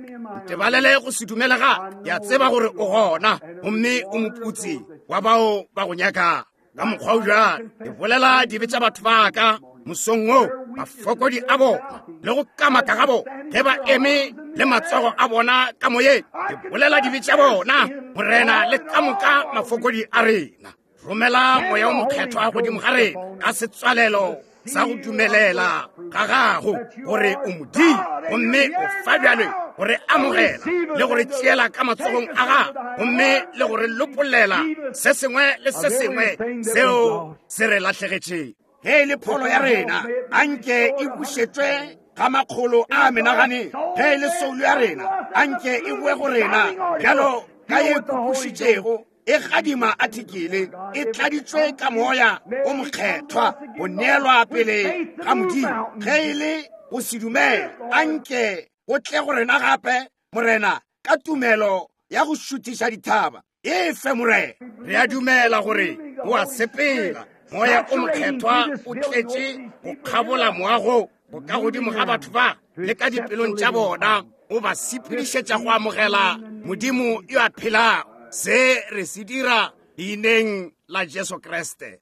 ntebalele go se dumele ga. Ke a tseba gore o gona, gomme o moputsi wa bao ba go nyakago. Ka mokgwa o bjalo ke bolela dibe tša batho ba ka mosong wo, mafokodi a bona le go kamaka ga bona ge ba eme le matsogo a bona ka moyeng. Ke bolela dibe tša bona, Morena, le ka moka mafokodi a rena. Romela moya o mokgethwa godimo ga rena ka setswalelo sa go dumelela ga gago gore o Modimo, gomme o fa bjale gore amogela le gore tšeela ka matsogong a gago, gomme le gore lopollela se sengwe le se sengwe seo se re lahlegetšeng. Ge e le pholo ya rena, anke e bušetšwe ga makgolo a menagane. Ge e le soulo ya rena, anke e boe go rena bjalo ka ye kupušitšego, e gadima athikele, e tladitšwe ka moya o mokgethwa go neelwa pele ga Modimo. Ge e le go se dumele, anke go tle go rena gape, Morena, ka tumelo ya go šuthiša dithaba. E fe, Morena. Re a dumela gore o a sepela, moya o mokgethwa o tletše go kgabola moago go ka godimo ga batho ba le ka dipelong tša bona, o ba sepedišetša go amogela Modimo yo a phelago. Se re se dira leineng la Jesu Kriste.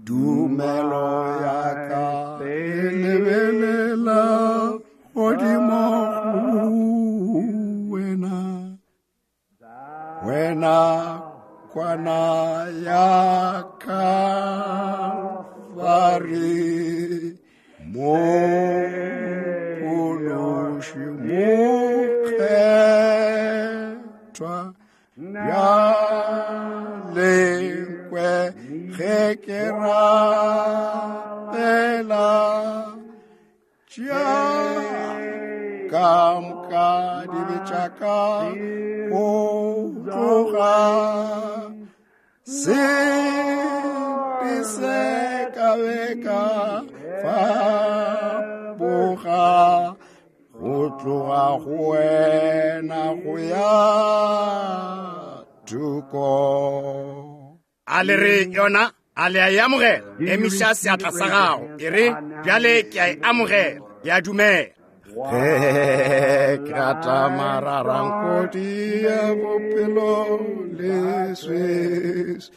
Tumelo ya ka e lebelela godimo go wena, wena kwana ya Kalvari, Mophološi mokgethwa, bjale nkwe ge ke rapela, tšea ka moka dibe tša ka go tloga, sebe se ka be ka fapoga, go tloga go wena go ya thoko. A le re yona, a le a e amogela? Emiša seatla sa gago, e re bjale ke a e amogela, ke a dumela. Ge ke rata mararankodi ya bophelo leswiswi,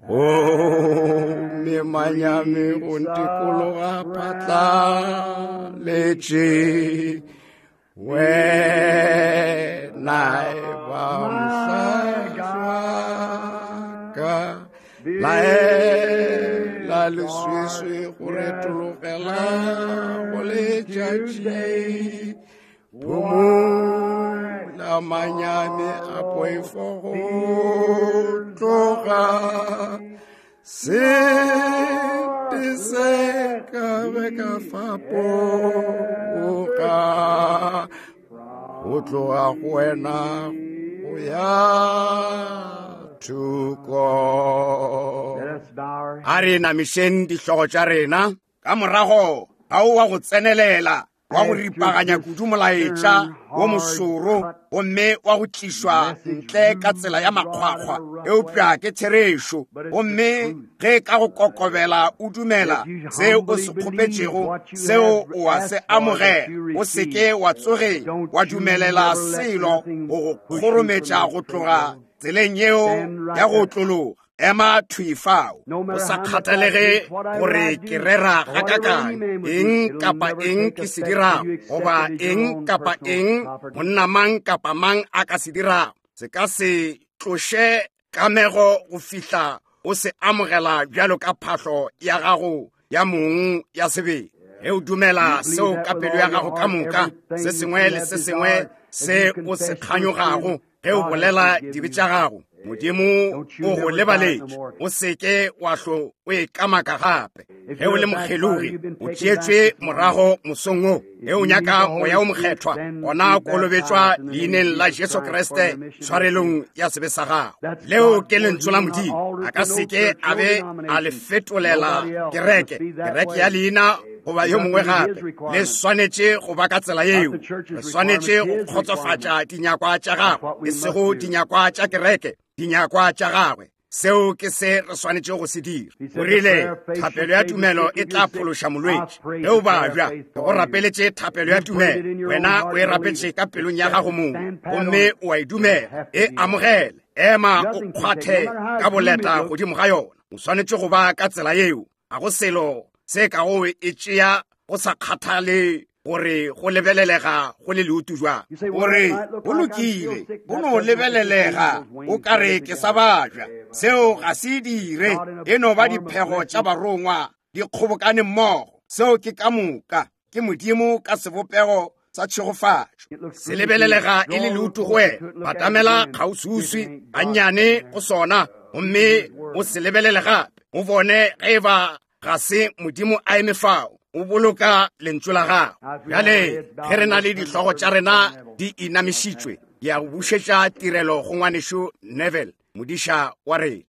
gomme manyami go ntikologa phatlaletše, wena e ba mohlahli wa ka, laela leswiswi go retologela go letšatši, phomola manyami a poifo go tloga, sebe se ka be ka fapoga, go tloga go wena go ya thoko. A re namišeng dihlogo tša rena. Ka morago ga o wa go tsenelela, wa go ripaganya kudu molaetša wo mošoro, gomme wa go tlišwa ntle ka tsela ya makgwakgwa, eupša ke therešo. Gomme ge ka go kokobela o dumela se o se kgopetšego, seo o a se amogela, o se ke wa tsoge wa dumelela selo go go kgorometša go tloga tseleng yeo ya go otlologa. Ema thwi fao, o sa kgathalege gore ke rera gakakang, eng kapa eng ke se dirago, goba eng kapa eng monna mang kapa mang a ka se dirago, se ka se tloše kamego go fihla o se amogela bjalo ka phahlo ya gago ya mong ya sebele. Ge o dumela seo ka pelo ya gago ka moka, se sengwe le se sengwe se o se kganyogago, ge o bolela dibe tša gago, Modimo o go lebaletše, o se ke wa hlo o e kamaka gape. Ge o le mokgelogi, o tšeetšwe morago mosong wo. Ge o nyaka moya o mokgethwa, gona kolobetšwa leineng la Jesu Kriste tshwarelong ya sebe sa gago. Leo ke lentšu la Modimo, a ka se ke a be a le fetolela kereke, kereke ya leina goba yo mongwe gape. Le swanetše go ba ka tsela yeo. Re swanetše go kgotsofatša dinyakwa tša gagwe, e sego dinyakwa tša kereke, dinyakwa tša gagwe. Seo ke se re swanetše go se dira. O rile thapelo ya tumelo e tla phološa molwetši. Ge o babja, ke go rapeletše thapelo ya tumelo, wena o e rapetše ka pelong ya gago mong, gomme o a e dumela, e amogele, ema o kgwathe ka boleta godimo ga yona. O swanetše go ba ka tsela yeo. Ga go selo se ka go e tšea go sa kgathale gore go lebelelega go le leutu jwang. Gore go lokile, go no lebelelega o ka re ke sa bajwa, seo ga se dire, e no ba diphego tša barongwa di kgobokane mmogo. Seo ke ka moka, ke Modimo ka sebopego sa tšhegofatšo. Se lebelelega e le leutu go wena, batamela kgauswiuswi gannyane go sona, gomme o se lebelele gape, o bone ge e ba ga se Modimo a eme fao, o boloka lentšu la gago. Bjale ge re na le dihlogo tša rena di inamišitšwe, ke ya go bušetša tirelo go ngwanešu Neville, modiša wa rena.